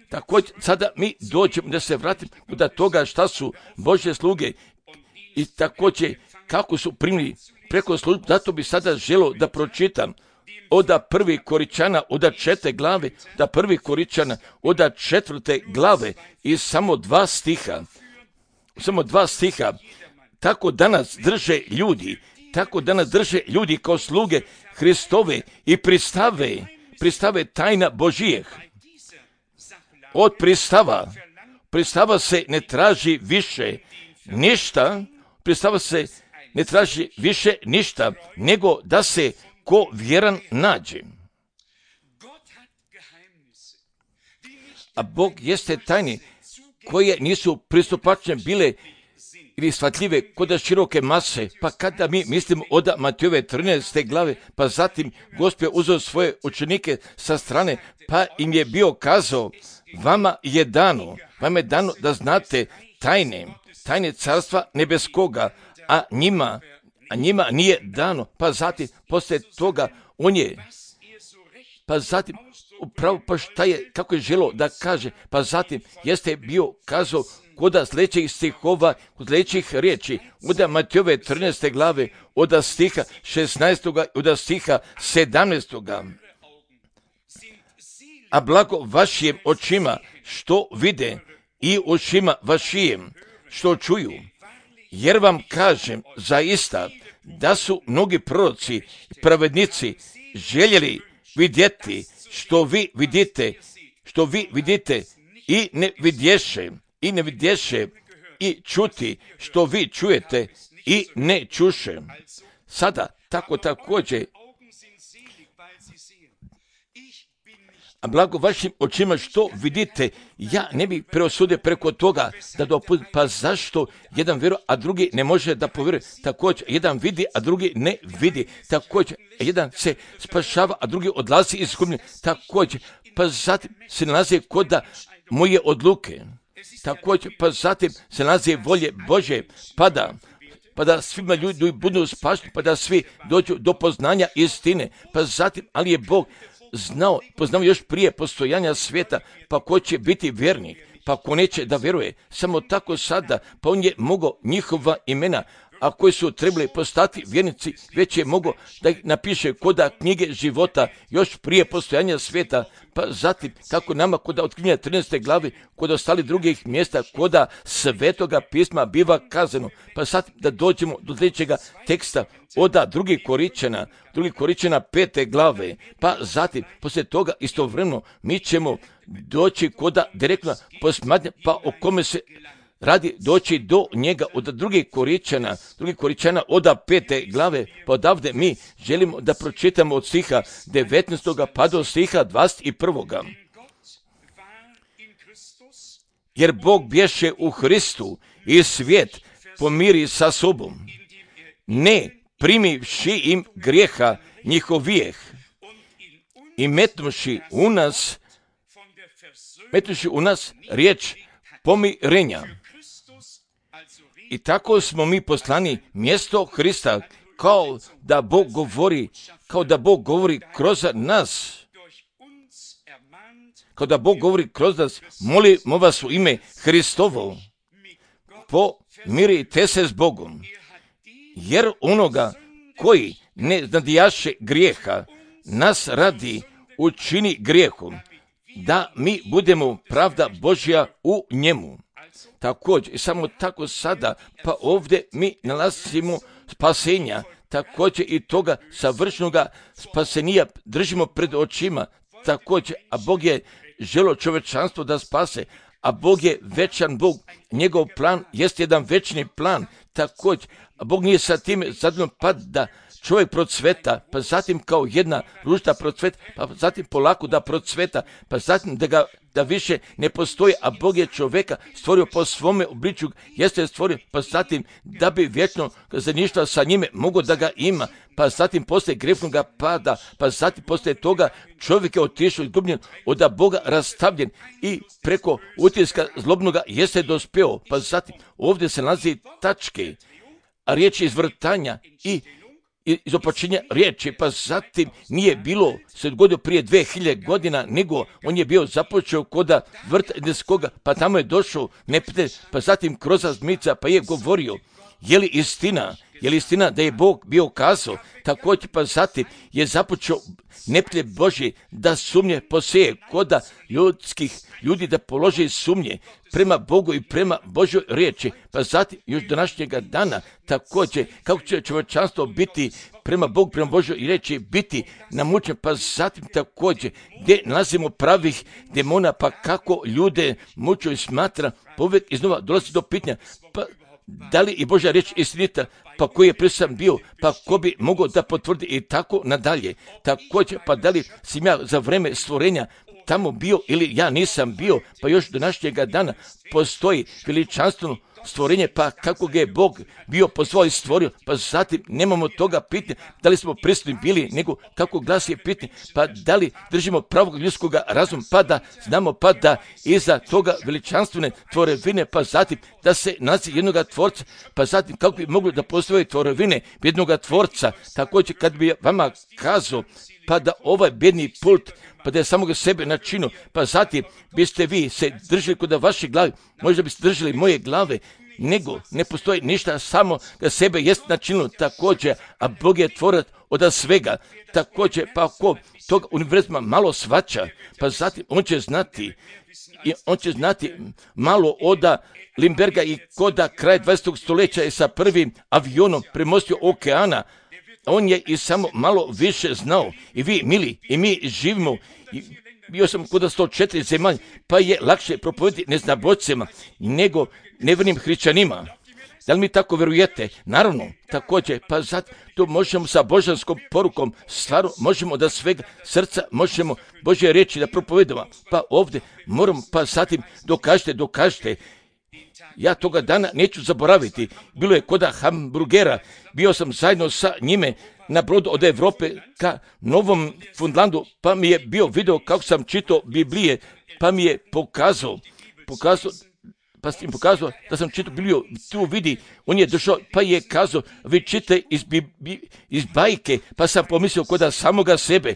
Također, sada mi dođemo da se vratimo do toga šta su Božje sluge i također kako su primili preko službu. Zato bi sada želio da pročitam od prvih Koričana, od 4. glave, da prvih Koričana, od 4. glave i samo 2 stiha. Tako danas drže ljudi kao sluge Hristove i pristave tajna Božijeh. Od pristava se ne traži više ništa, nego da se ko vjeran nađe. A Bog jeste tajni koje nisu pristupačne bile ili shvatljive kod široke mase, pa kada mi mislimo od Matejove 13. glave, pa zatim Gospod je uzeo svoje učenike sa strane, pa im je bio kazao, vama je dano da znate tajne carstva nebeskoga, a njima nije dano, pa zatim poslije toga on je, pa zatim upravo pa šta je, kako je želo da kaže, pa zatim jeste bio kazao kod sljedećih stihova, kod sljedećih riječi, od Matejove 13. glave, od stiha 16. od stiha 17. A blago vašim očima što vide i očima vašim što čuju, jer vam kažem zaista da su mnogi proroci i pravednici željeli vidjeti što vi vidite i ne vidješe i čuti što vi čujete i ne čuše. Sada tako također, a blago vašim očima što vidite, ja ne bih preosudio preko toga da dopustim, pa zašto jedan vjeruje, a drugi ne može da povjeruje, također jedan vidi, a drugi ne vidi, također jedan se spašava, a drugi odlazi iz skupine, također, pa zatim se nalazi kod moje odluke, također, pa zatim se nalazi volje Bože, pa da svima ljudi budu spašeni, pa da svi dođu do poznanja istine, pa zatim, ali je Bog poznao još prije postojanja svijeta, pa ko će biti vjernik, pa ko neće da vjeruje, samo tako sada, pa on je mogao njihova imena, a koji su trebali postati vjernici, već je mogao da ih napiše koda knjige života još prije postojanja svijeta, pa zatim kako nama koda otkrivenja 13. glavi, kod ostali drugih mjesta, koda svetoga pisma biva kazano, pa sad da dođemo do sljedećega teksta od drugi Koričana 5. glave, pa zatim poslije toga istovremeno mi ćemo doći koda direktno posmatranja, pa o kome se radi doći do njega od drugi Koričana od 5. glave, pa odavde mi želimo da pročitamo od stiha 19. pa do stiha 21. Jer Bog bješe u Hristu i svijet pomiri sa sobom, ne primivši im grijeha njihovijeh i metnuši u nas riječ pomirenja. I tako smo mi poslani mjesto Hrista, kao da Bog govori kroz nas. Molimo vas u ime Hristovo, pomirite se s Bogom, jer onoga koji ne nadijaše grijeha, nas radi učini grijehom, da mi budemo pravda Božja u njemu. Također, i samo tako sada, pa ovdje mi nalazimo spasenja, također i toga savršenoga spasenija držimo pred očima, također, a Bog je želio čovječanstvo da spase, a Bog je večan Bog, njegov plan jest jedan večni plan, također, a Bog nije sa tim zadovoljan pa da čovjek procveta, pa zatim kao jedna ružda procveta, pa zatim polako da procveta, pa zatim da više ne postoji, a Bog je čovjeka stvorio po svome obličju, jeste stvorio, pa zatim da bi vječno zajedništvo sa njime mogo da ga ima, pa zatim poslije grešnoga pada, pa zatim poslije toga čovjek je otišao izgubljen, od Boga rastavljen i preko utiska zlobnoga jeste dospeo, pa zatim ovdje se nalazi tačke, a riječ je izvrtanja i izopačenja riječi, pa zatim nije bilo se dogodio prije 2000 godina, nego on je bio započeo koda vrta Edenskoga, pa tamo je došao neprijatelj, pa zatim kroz zmica, pa je govorio, je li istina da je Bog bio kazao, također pa zatim je započeo neprijatelj Božji da sumnje poseje koda ljudi da polože sumnje prema Bogu i prema Božoj riječi, pa zatim još današnjega dana također kako će čovječanstvo biti prema Bogu, prema Božoj riječi biti namučen, pa zatim također gdje nalazimo pravih demona, pa kako ljude muču i smatra, povijek iznova dolazi do pitanja, pa da li i Božja riječ istinita, pa koji je prisutan bio, pa ko bi mogao da potvrdi i tako nadalje. Također, pa da li sam ja za vreme stvorenja tamo bio ili ja nisam bio, pa još do današnjega dana postoji veličanstveno stvorenje, pa kako ga je Bog bio po svoj stvorio, pa zatim nemamo toga pitanja da li smo prisutni bili, nego kako glasi je pitanje, pa da li držimo pravog ljudskog razuma, pa da znamo pa da iza toga veličanstvene tvorevine, pa zatim da se nalazi jednoga tvorca, pa zatim kako bi moglo da postoje tvorevine jednoga tvorca. Također kad bi vama kazao pa da ovaj bedni pult, pa da je samoga sebe načinu, pa zatim biste vi se držali kod vaše glave, možda biste držali moje glave, nego ne postoji ništa, samo da sebe jest načinilo također, a Bog je tvorac od svega. Također, pa ako tog univerzuma malo svača, pa zatim on će znati malo od Lindberga i koda kraj 20. stoljeća je sa prvim avionom premostio okeana. On je i samo malo više znao. I vi, mili, i mi živimo. Bio sam kod 104 zemalja, pa je lakše propovediti neznabojcima nego nevjernim hrišćanima. Da li mi tako vjerujete? Naravno, također, pa zato to možemo sa božanskom porukom, stvarno možemo da svega srca možemo Božje reći da propovedamo. Pa ovdje moram, pa zatim dokažite. Ja toga dana neću zaboraviti. Bilo je koda hamburgera. Bio sam zajedno sa njime na brodu od Europe ka Novom Fundlandu, pa mi je bio video kako sam čitao Biblije, pa mi je pokazao da sam čitao Bibliju, tu vidi, on je došao, pa je kazao, vi čitate iz bajke, pa sam pomislio koda samoga sebe,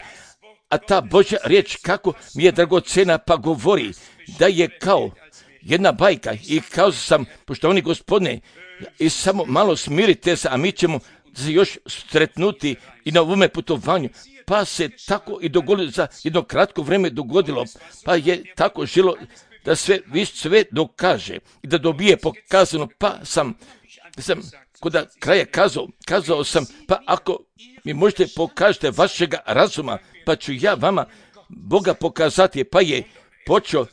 a ta Božja riječ kako mi je dragocena, pa govori da je kao jedna bajka i kao sam, poštovani Gospodine, i samo malo smirite se, a mi ćemo se još sretnuti i na ovome putovanju. Pa se tako i dogodilo, za jedno kratko vrijeme dogodilo, pa je tako želo da sve dokaže i da dobije pokazano, pa sam kod kraja kazao sam, pa ako mi možete pokažete vašega razuma, pa ću ja vama Boga pokazati, pa je počeo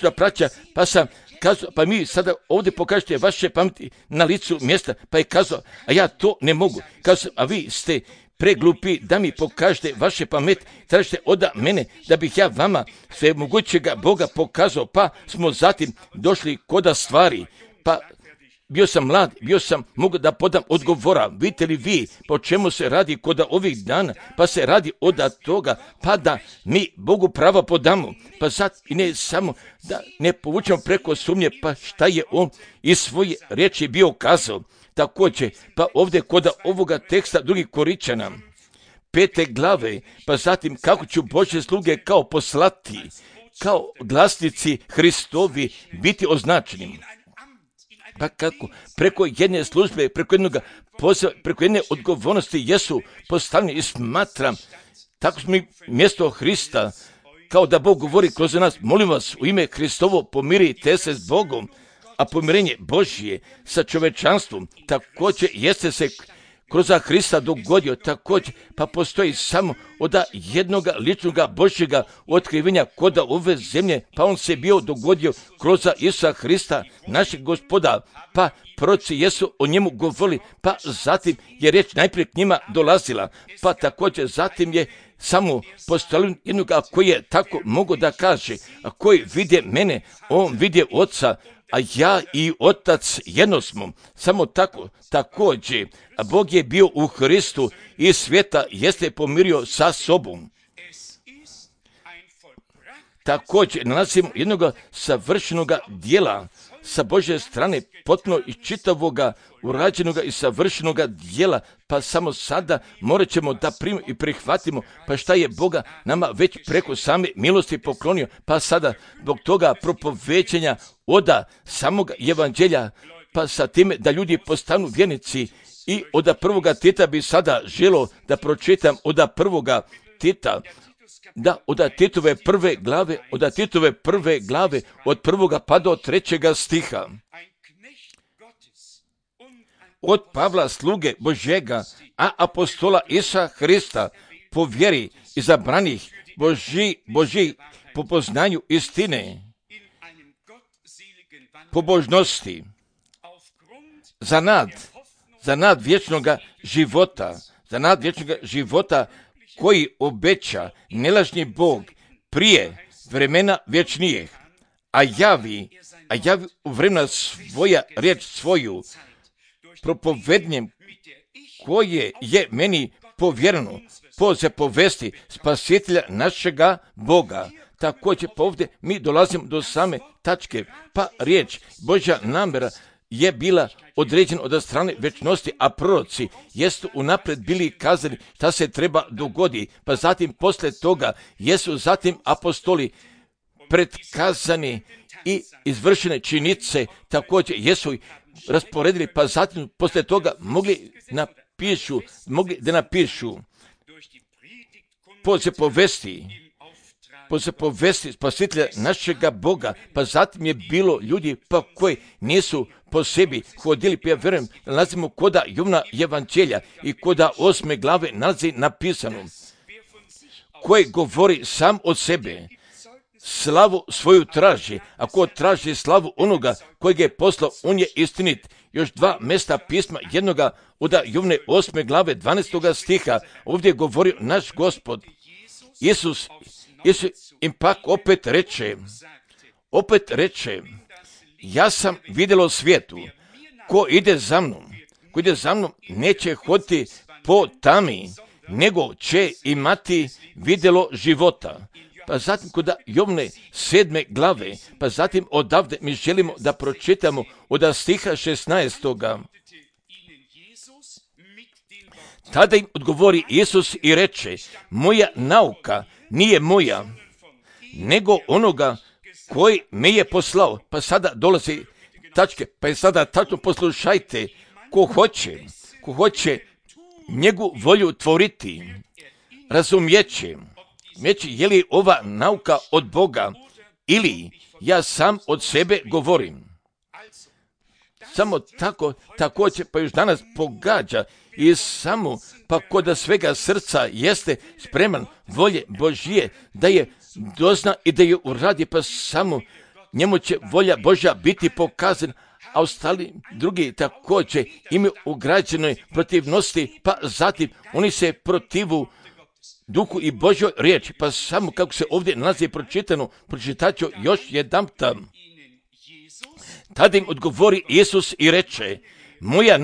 da praća, pa sam kazao, pa mi sada ovdje pokažete vaše pameti na licu mjesta, pa je kazao, a ja to ne mogu. Kazao, a vi ste preglupi da mi pokažete vaše pameti, tražite od mene da bih ja vama sve mogućega Boga pokazao, pa smo zatim došli koda stvari, pa bio sam mlad, mogu da podam odgovora. Vidite li vi po čemu se radi kod ovih dana? Pa se radi od toga, pa da mi Bogu pravo podamo. Pa sad i ne samo da ne povučemo preko sumnje, pa šta je on iz svoje riječi bio kazao. Također, pa ovdje kod ovoga teksta drugih Koričana, 5. glave, pa zatim kako ću Božje sluge kao poslati, kao glasnici Hristovi biti označeni. Pa kako? Preko jedne službe, preko jednog poziva, preko jedne odgovornosti jesu postavljeni i smatram, tako smo mi mjesto Hrista, kao da Bog govori kroz nas, molim vas u ime Hristovo pomirite se s Bogom, a pomirenje Božje sa čovečanstvom također jeste se kroz Hrista dogodio također, pa postoji samo od jednoga ličnoga Božjega otkrivenja kod ove zemlje, pa on se bio dogodio kroz Isusa Hrista, našeg Gospoda, pa proroci jesu o njemu govorili, pa zatim je riječ najprije k njima dolazila, pa također zatim je samo postavljen jednoga koji je tako mogu da kaže, a koji vidje mene, on vidje Oca, a ja i Otac jedno smo. Samo tako, također, a Bog je bio u Hristu i svijeta jeste pomirio sa sobom. Također, nalazimo jednog savršenog dijela sa Božje strane, potpuno i čitavoga, urađenoga i savršenoga dijela, pa samo sada morat ćemo da primimo i prihvatimo, pa šta je Boga nama već preko same milosti poklonio, pa sada zbog toga propovećenja od samog evanđelja, pa sa time da ljudi postanu vjernici i od prvoga Tita bi sada želo da pročitam od prvoga Tita, da od Titove prve glave, od prvoga pa do 3. stiha. Od Pavla sluge Božjega, a apostola Isusa Hrista, po vjeri izabranih Božji po poznanju istine, pobožnosti, za nad vječnoga života, koji obeća nelažni Bog prije vremena vječnijeg, a javi u vremena svoja riječ svoju, propovednjem koje je meni povjereno, po zapovesti spasitelja našega Boga. Također pa ovdje mi dolazimo do same tačke, pa riječ Božja namjera je bila određena od strane večnosti, a proroci jesu unaprijed bili kazali šta se treba dogoditi, pa zatim poslije toga jesu zatim apostoli predkazani i izvršene činjenice također jesu rasporedili, pa zatim poslije toga mogli da napišu po zapovesti spasitelja našega Boga, pa zatim je bilo ljudi pa koji nisu po sebi hodili, pa ja vjerujem da nalazimo koda Jovana evanđelja i koda 8. glave nalazi napisano, koji govori sam od sebe, slavu svoju traži, a ko traži slavu onoga kojeg je poslao, on je istinit. Još 2 mjesta pisma, jednoga od Jovane 8. glave 12. stiha, ovdje govori naš Gospod. Isus im pak opet reče, ja sam vidjelo svijetu, ko ide za mnom, neće hoditi po tami, nego će imati vidjelo života. Pa zatim kod Jovane 7. glave, pa zatim odavde mi želimo da pročitamo od stiha 16. Tada im odgovori Isus i reče, moja nauka nije moja, nego onoga koji me je poslao. Pa sada dolazi tačke, pa je sada tačno poslušajte, ko hoće njegu volju tvoriti, razumijeće, je li ova nauka od Boga ili ja sam od sebe govorim. Samo tako, također pa još danas pogađa i samo pa kod svega srca jeste spreman volje Božije da je dozna i da je uradi, pa samo njemu će volja Božja biti pokazana, a ostali drugi također imaju ugrađenoj protivnosti, pa zatim oni se protivu Duhu i Božjoj riječi, pa samo kako se ovdje nalazi pročitano, pročitat ću još jedanputa. Tada im odgovori Isus i reče, moja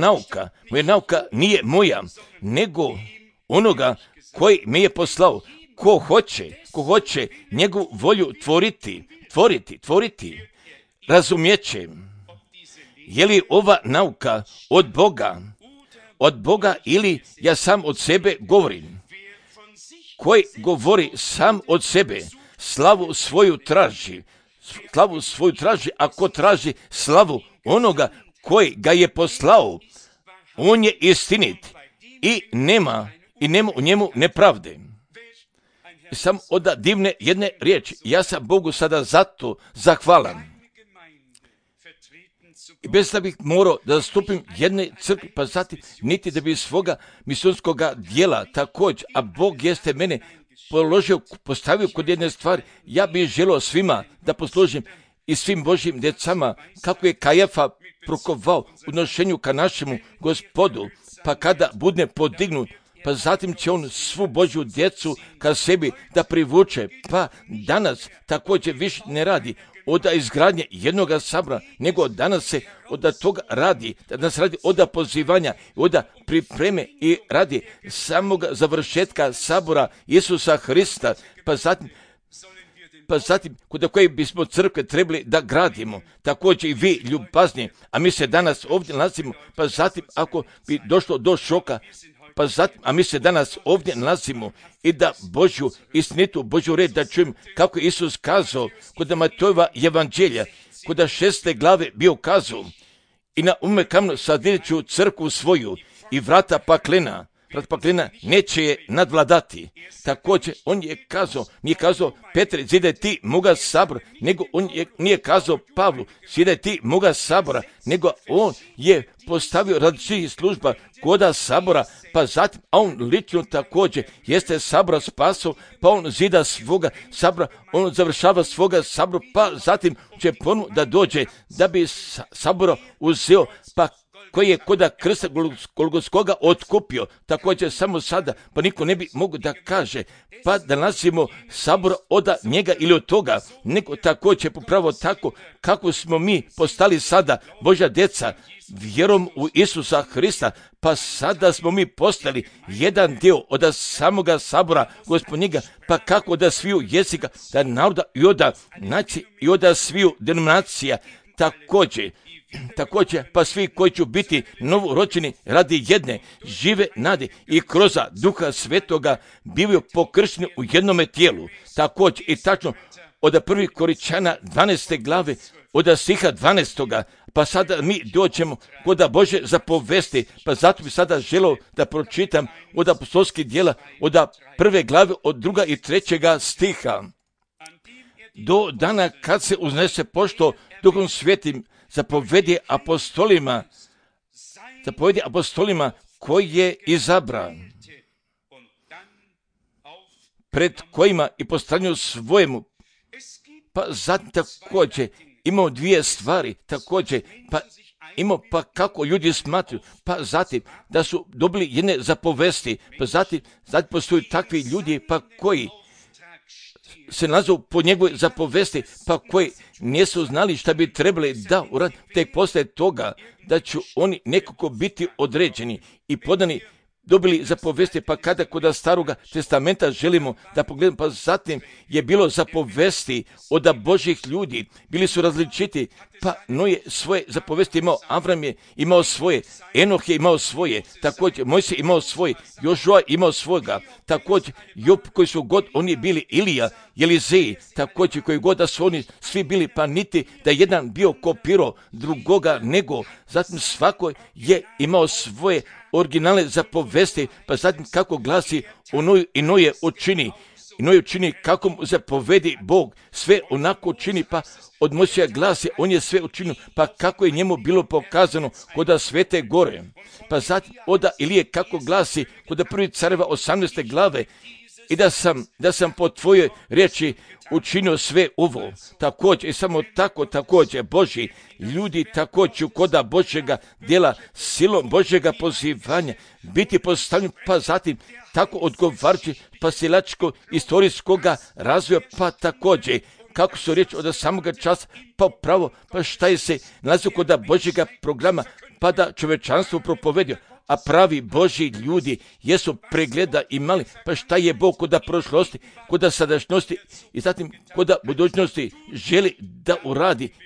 nauka nije moja, nego onoga koji me je poslao. Ko hoće njegovu volju tvoriti, razumijeće. Je li ova nauka od Boga ili ja sam od sebe govorim? Koji govori sam od sebe, slavu svoju traži, a ko traži slavu onoga koji ga je poslao, on je istinit i nema u njemu nepravde. I sam od divne jedne riječi, ja sam Bogu sada zato zahvalan. I bez da bih morao da zastupim jedne crkve, pa zatim niti da bi svoga misionskoga dijela također, a Bog jeste mene postavio kod jedne stvari, ja bih želio svima da poslužim i svim Božjim djecama, kako je Kajafa prokovao u nošenju ka našemu Gospodu, pa kada bude podignut, pa zatim će on svu Božju djecu ka sebi da privuče, pa danas također više ne radi od izgradnje jednoga sabora, nego danas se od toga radi, danas radi od pozivanja, od pripreme i radi samog završetka sabora Isusa Hrista, pa zatim kod koje bismo crkve trebali da gradimo, također i vi ljubazni, a mi se danas ovdje nalazimo, pa zatim ako bi došlo do šoka, pa zatim, a mi se danas ovdje nalazimo i da Božju istinitu, Božju red da čujem kako je Isus kazao kod Matejova evanđelja, kod 6. glave bio kazao, i na kamenu sadit ću crkvu svoju i vrata paklena neće je nadvladati. Također on je kazao, nije kazao Petre, zidaj ti moga sabora, nego on nije kazao Pavlu, zidaj ti moga sabora, nego on je postavio radi svih služba koda sabora, pa zatim, a on lično također jeste sabora spasao, pa on zida svoga sabora, on završava svoga sabora, pa zatim će ponovno da dođe da bi sabora uzeo, pa koji je koda krsta Golgotskoga otkupio, također samo sada, pa niko ne bi mogu da kaže, pa da nasimo sabor od njega ili od toga, nego također popravo tako kako smo mi postali sada Božja djeca, vjerom u Isusa Hrista, pa sada smo mi postali jedan dio od samoga sabora Gospodnjega, pa kako da sviju jezika, da naroda i od nacije i od sviju denominacija, također, pa svi koji će biti novorođeni radi jedne žive nade i kroz Duha Svetoga bivaju pokršteni u jednome tijelu. Također i tačno od 1. Korinćana 12. glave, od stiha 12. Pa sada mi dođemo kod Bože zapovesti, pa zato bi sada želio da pročitam od apostolskih djela, od 1. glave, od 2. i 3. stiha. Do dana kad se uznese pošto Duhom Svetim zapovedi apostolima koji je izabran, pred kojima i postavljanju svojemu. Pa zatim također imamo dvije stvari, također, pa kako ljudi smatruju, pa zatim da su dobili jedne zapovesti, pa zatim postoji takvi ljudi, pa koji se nazovu po njegovoj zapovesti, pa koji nisu znali šta bi trebali da uradi, tek poslije toga da će oni nekako biti određeni i podani, dobili zapovesti, pa kada kod Staroga testamenta želimo da pogledamo, pa zatim je bilo zapovesti od Božih ljudi, bili su različiti, pa Noje svoje zapovesti imao, Avram je imao svoje, Enoh je imao svoje, također Mojsije imao svoje, Jožua imao svoga, također Job koji su god oni bili, Ilija, Elizej, također koji god da su oni svi bili, pa niti da jedan bio kopirao drugoga, nego zatim svako je imao svoje originalne zapovesti, pa zatim kako glasi i Noje učini kako mu zapovedi Bog, sve onako učini, pa od Mojsija glasi, on je sve učinio, pa kako je njemu bilo pokazano kod Svete gore. Pa zatim od Ilije kako glasi kod 1. Careva 18. glave, i da sam po tvojoj riječi učinio sve ovo. Također i samo tako također Božji ljudi također koda Božjega djela silom Božjega pozivanja biti postavljeni, pa zatim tako odgovarajući pasilačko istorijskoga razvoja, pa također kako su riječ od samoga časa, pa pravo, pa šta je se nalazio kod Božjega programa, pa da čovečanstvo propovedio, a pravi Božji ljudi jesu pregleda imali, pa šta je Bog kod prošlosti, kod sadašnjosti i zatim kod budućnosti želi da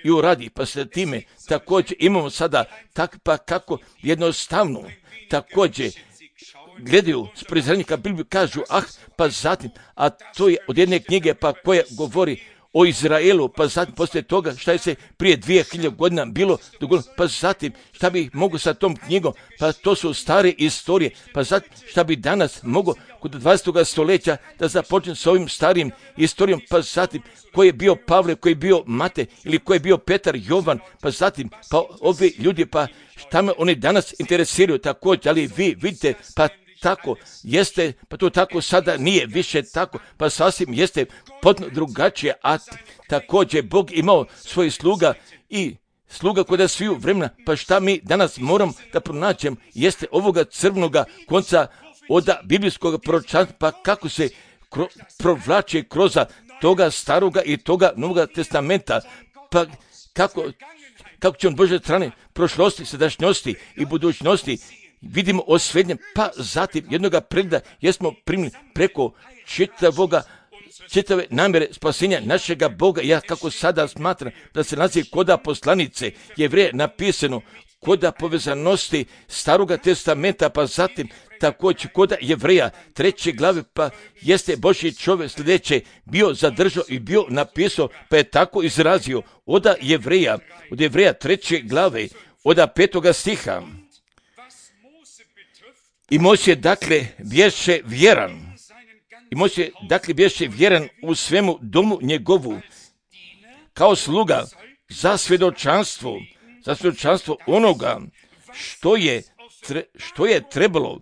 uradi, pa se time također imamo sada tak, pa kako jednostavno također gledaju s prezranjika Bibliju, kažu pa zatim, a to je od jedne knjige pa koja govori o Izraelu, pa zatim poslije toga šta je se prije 2000 godina bilo dogodilo, pa zatim šta bi mogu sa tom knjigom, pa to su stare istorije, pa zatim šta bi danas mogo kod 20. stoljeća da započne s ovim starim istorijom, pa zatim koji je bio Pavle, koji je bio Mate ili koji je bio Petar, Jovan, pa zatim pa ovi ljudi, pa šta me oni danas interesiraju također, ali vi vidite, pa tako jeste, pa to tako sada nije više tako, pa sasvim jeste potpuno drugačije, a također Bog imao svoj sluga i sluga kod sviju vremena, pa šta mi danas moram da pronaćem jeste ovoga crvnoga konca od biblijskog proročanstva, pa kako se provlače kroz toga staroga i toga novoga testamenta, pa kako će on Božje strane prošlosti, sadašnjosti i budućnosti vidimo osvetljen, pa zatim jednoga pregleda jesmo primili preko čitave namjere spasenja našega Boga. Ja kako sada smatram da se nalazi koda poslanice Jevreje napisano koda povezanosti staroga testamenta, pa zatim također koda Jevreja 3. glave, pa jeste Božji čovjek sljedeće bio zadržao i bio napisao, pa je tako izrazio od Jevreja 3. glave, od 5. stiha. I Mojsije dakle bješe vjeran u svemu domu njegovu, kao sluga za svjedočanstvo onoga što je trebalo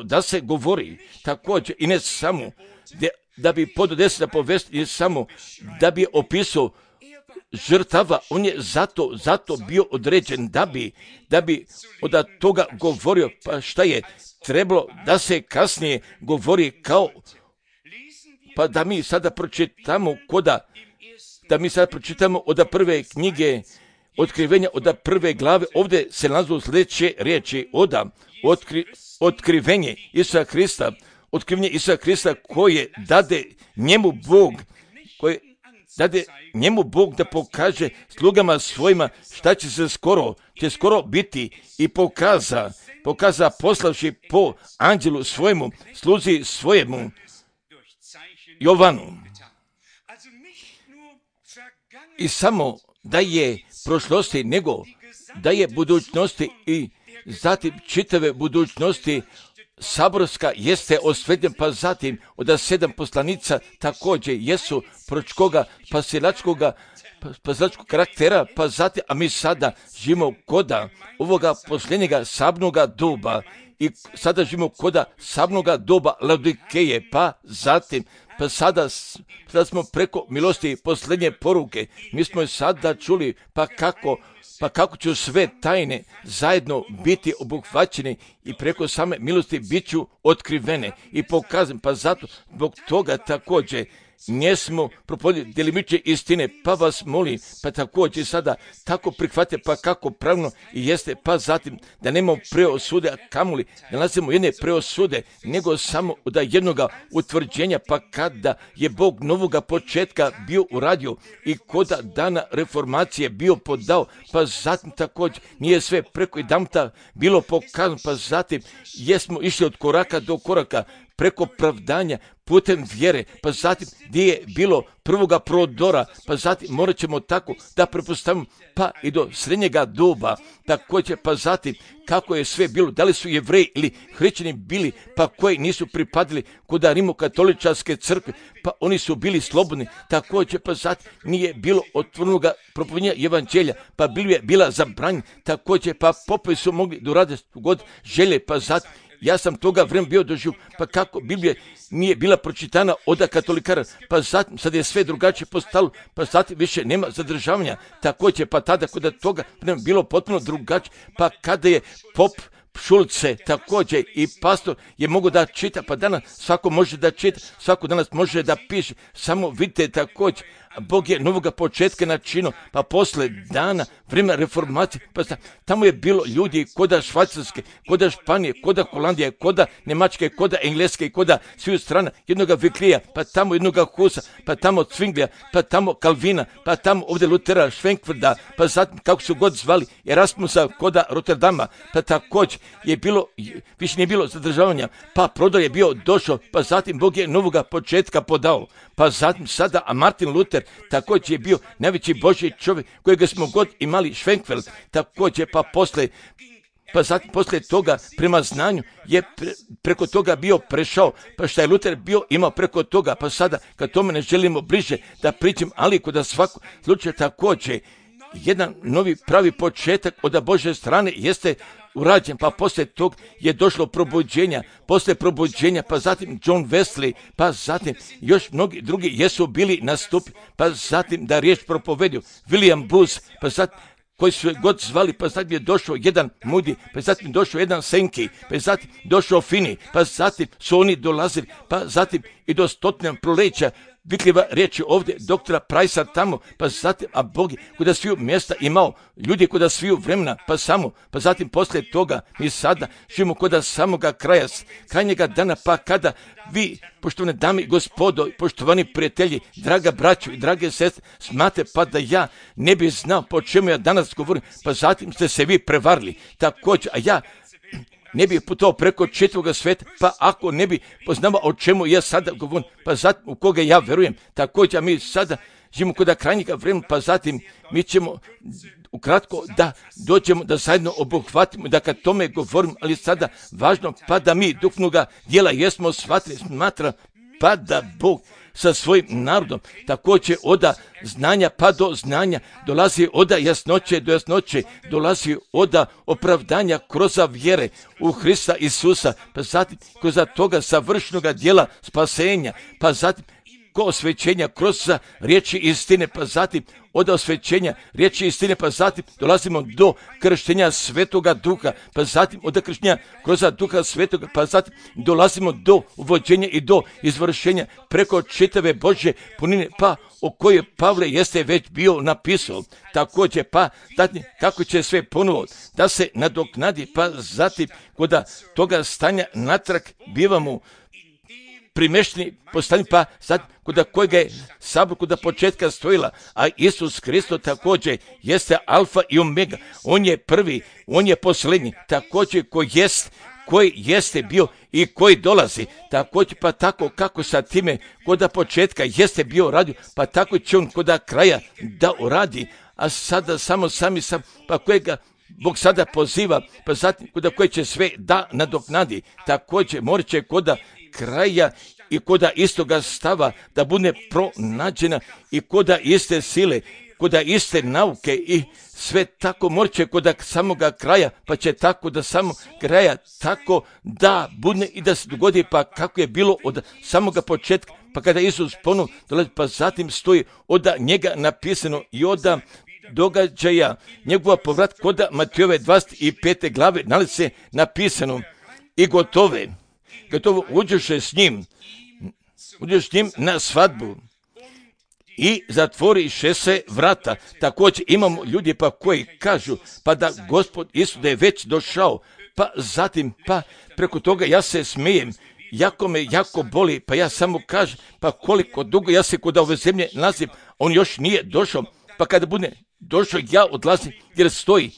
da se govori, također i ne samo da bi pododesna povest, ne samo da bi opisao žrtava, on je zato bio određen da bi od toga govorio. Pa šta je trebalo da se kasnije govori kao, pa da mi sada pročitamo od prve knjige Otkrivenja, od prve glave, ovdje se nalazu sljedeće riječi, otkrivenje Isusa Krista koje dade njemu Bog da pokaže slugama svojima šta će skoro biti, i pokaza poslavši po anđelu svojemu, sluzi svojemu Jovanu. I samo da je prošlosti, nego da je budućnosti, i zatim čitave budućnosti saborska jeste osvetljen, pa zatim od 7 poslanica također jesu proročkoga, pasilačkog karaktera, pa zatim, a mi sada živimo koda ovoga posljednjega sabnoga doba, i sada živimo koda sabnoga doba Laodikeje, pa zatim, pa sada smo preko milosti posljednje poruke, mi smo sada čuli, pa kako će sve tajne zajedno biti obuhvaćene i preko same milosti bit ću otkrivene i pokazane, pa zato zbog toga također nismo propovjedali djelimične istine, pa vas molim, pa također sada tako prihvate, pa kako pravno i jeste, pa zatim da nemamo preosude, a kamoli da nalazimo jedne preosude, nego samo da jednoga utvrđenja, pa kada je Bog novoga početka bio uradio i koda dana reformacije bio podao, pa zatim također nije sve preko jedanputa bilo pokazano, pa zatim jesmo išli od koraka do koraka, preko pravdanja putem vjere, pa zatim gdje je bilo prvoga prodora, pa zatim morat ćemo tako da prepostavimo, pa i do srednjega doba, također, pa zatim kako je sve bilo, da li su Jevreji ili Hrišćani bili, pa koji nisu pripadili kod Rimokatoličanske crkve, pa oni su bili slobodni, također, pa zatim nije bilo otvorenoga propovjedanja evanđelja, pa bila zabranjena, također, pa popovi su mogli doraditi god želje, pa zatim ja sam toga vremena bio doživio, pa kako Biblija nije bila pročitana od katolikara, pa zatim sad je sve drugačije postalo, pa zatim više nema zadržavanja, također, pa tada kod toga bilo potpuno drugačije, pa kada je pop Šulce također i pastor je mogu da čita, pa danas svako može da čita, svako danas može da piše, samo vidite također, Bog je novoga početka načinio, pa posle dana vremena reformacije, pa tamo je bilo ljudi koda Švajcarske, koda Španije, koda Holandije, koda Njemačke, koda Engleske, koda svih strana, jednoga Viklija, pa tamo jednoga Husa, pa tamo Cvinglija, pa tamo Kalvina, pa tamo ovdje Lutera, Švenkvrda, pa zatim kako su god zvali Erasmusa koda Rotterdama, pa također je bilo, više nije bilo zadržavanja, pa prodor je bio došao, pa zatim Bog je novoga početka podao, pa zatim sada, a Martin Luther također je bio najveći Božji čovjek kojega smo god imali, Švenkveld, također, pa zatim poslije toga prema znanju je preko toga bio prešao, pa šta je Luther bio imao preko toga, pa sada kad tome ne želimo bliže da pričam, ali kod svakog slučaja također jedan novi pravi početak od Božje strane jeste urađen, pa poslije tog je došlo probuđenja, poslije probuđenja, pa zatim John Wesley, pa zatim još mnogi drugi jesu bili nastupi, pa zatim da riječ propovedio, William Booth, pa zatim koji su god zvali, pa zatim je došao jedan Moody, pa zatim došao jedan Sankey, pa zatim došao Finney, pa zatim su oni dolazili, pa zatim i do stotine proleća, vitljiva riječ je ovdje doktora Price tamo, pa zatim, a Bog je kuda sviju mjesta imao, ljudi kuda sviju vremena, pa zatim poslije toga mi sada živimo kuda samoga kraja, krajnjega dana, pa kada vi, poštovane dame i gospodo, poštovani prijatelji, draga braćo i drage sestre, smate pa da ja ne bi znao po čemu ja danas govorim, pa zatim ste se vi prevarili, također, a ja ne bi putovao preko čitavoga sveta, pa ako ne bi poznavao o čemu ja sada govorim, pa zatim u koga ja verujem, također mi sada živimo kod krajnjega vremena, pa zatim mi ćemo ukratko da dođemo da zajedno obuhvatimo, da kad tome govorim, ali sada važno, pa da mi duhovnoga dijela jesmo shvatili, smatra, pa da Bog sa svojim narodom također od znanja pa do znanja dolazi od jasnoće do jasnoće, dolazi od opravdanja kroz vjere u Hrista Isusa, pa zatim kroz toga savršenog dijela spasenja, pa zatim preko osvećenja kroz riječi istine, pa zatim od osvećenja riječi istine, pa zatim dolazimo do krštenja Svetoga Duha, pa zatim od krštenja kroz Duha Svetoga, pa zatim dolazimo do uvođenja i do izvršenja preko čitave Božje punine, pa o kojoj Pavle jeste već bio napisao. Također, pa zatim kako će sve ponovo da se nadoknadi, pa zatim kod toga stanja natrag bivamo primešteni postani, pa sad kod kojega je sabor kod početka stojila, a Isus Hristo također jeste alfa i omega, on je prvi, on je posljednji, također koji jeste bio i koji dolazi, također pa tako kako sa time kod početka jeste bio radio, pa tako će on kod kraja da uradi, a sada samo sami sam, pa kojega Bog sada poziva, pa zatim kod koje će sve da nadoknadi, također morat će kod kraja i kod istoga stava da bude pronađena i kod iste sile, kod iste nauke i sve tako morat će kod samoga kraja, pa će tako da samo kraja tako da bude i da se dogodi, pa kako je bilo od samoga početka, pa kada Isus ponovno dolazi, pa zatim stoji od njega napisano i od događaja njegova povrat kod Matejove 25. glave nalazi se napisano i gotovo uđeš s njim na svadbu i zatvoriše se vrata. Također imamo ljudi pa koji kažu pa da Gospod Isus da je već došao, pa zatim pa preko toga ja se smijem, jako me jako boli, pa ja samo kažem pa koliko dugo ja se kod ove zemlje nalazim, on još nije došao, pa kada bude došao ja odlazim jer stoji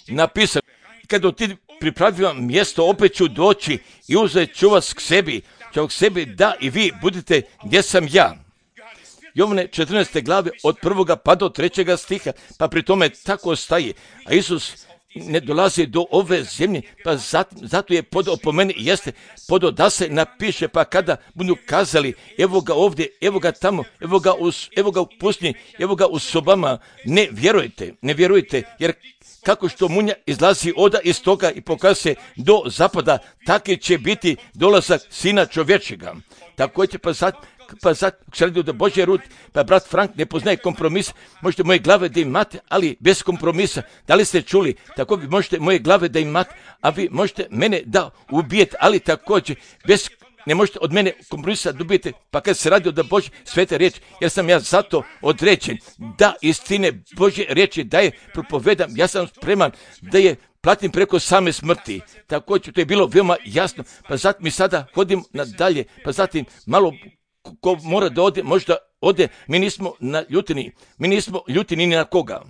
napisano. Kada ti pripravljam mjesto, opet ću doći i uzet ću vas k sebi, da i vi budete gdje sam ja. Jovane 14. glave od 1. pa do 3. stiha, pa pri tome tako staje. A Isus ne dolazi do ove zemlje, pa zato je podao po meni, jeste podao da se napiše, pa kada budu kazali, evo ga ovdje, evo ga tamo, evo ga u pustinji, evo ga u sobama, ne vjerujte, jer kako što munja izlazi od istoka i pokazuje se do zapada, taki će biti dolazak Sina čovječega. Također pa sad se radi da Božje rud, pa brat Frank ne poznaje kompromis, možete moje glave da imate, ali bez kompromisa. Da li ste čuli? Tako vi možete moje glave da imate, a vi možete mene da ubijete, ali također ne možete od mene kompromisa dobijete, pa kad se radi o da Božje svete riječi, jer sam ja zato određen da istine Božje riječi da je propovedam, ja sam spreman da je platim preko same smrti. Također to je bilo veoma jasno, pa zatim mi sada hodimo nadalje, pa zatim malo ko mora da ode, možda ode, mi nismo ljutini ni na koga.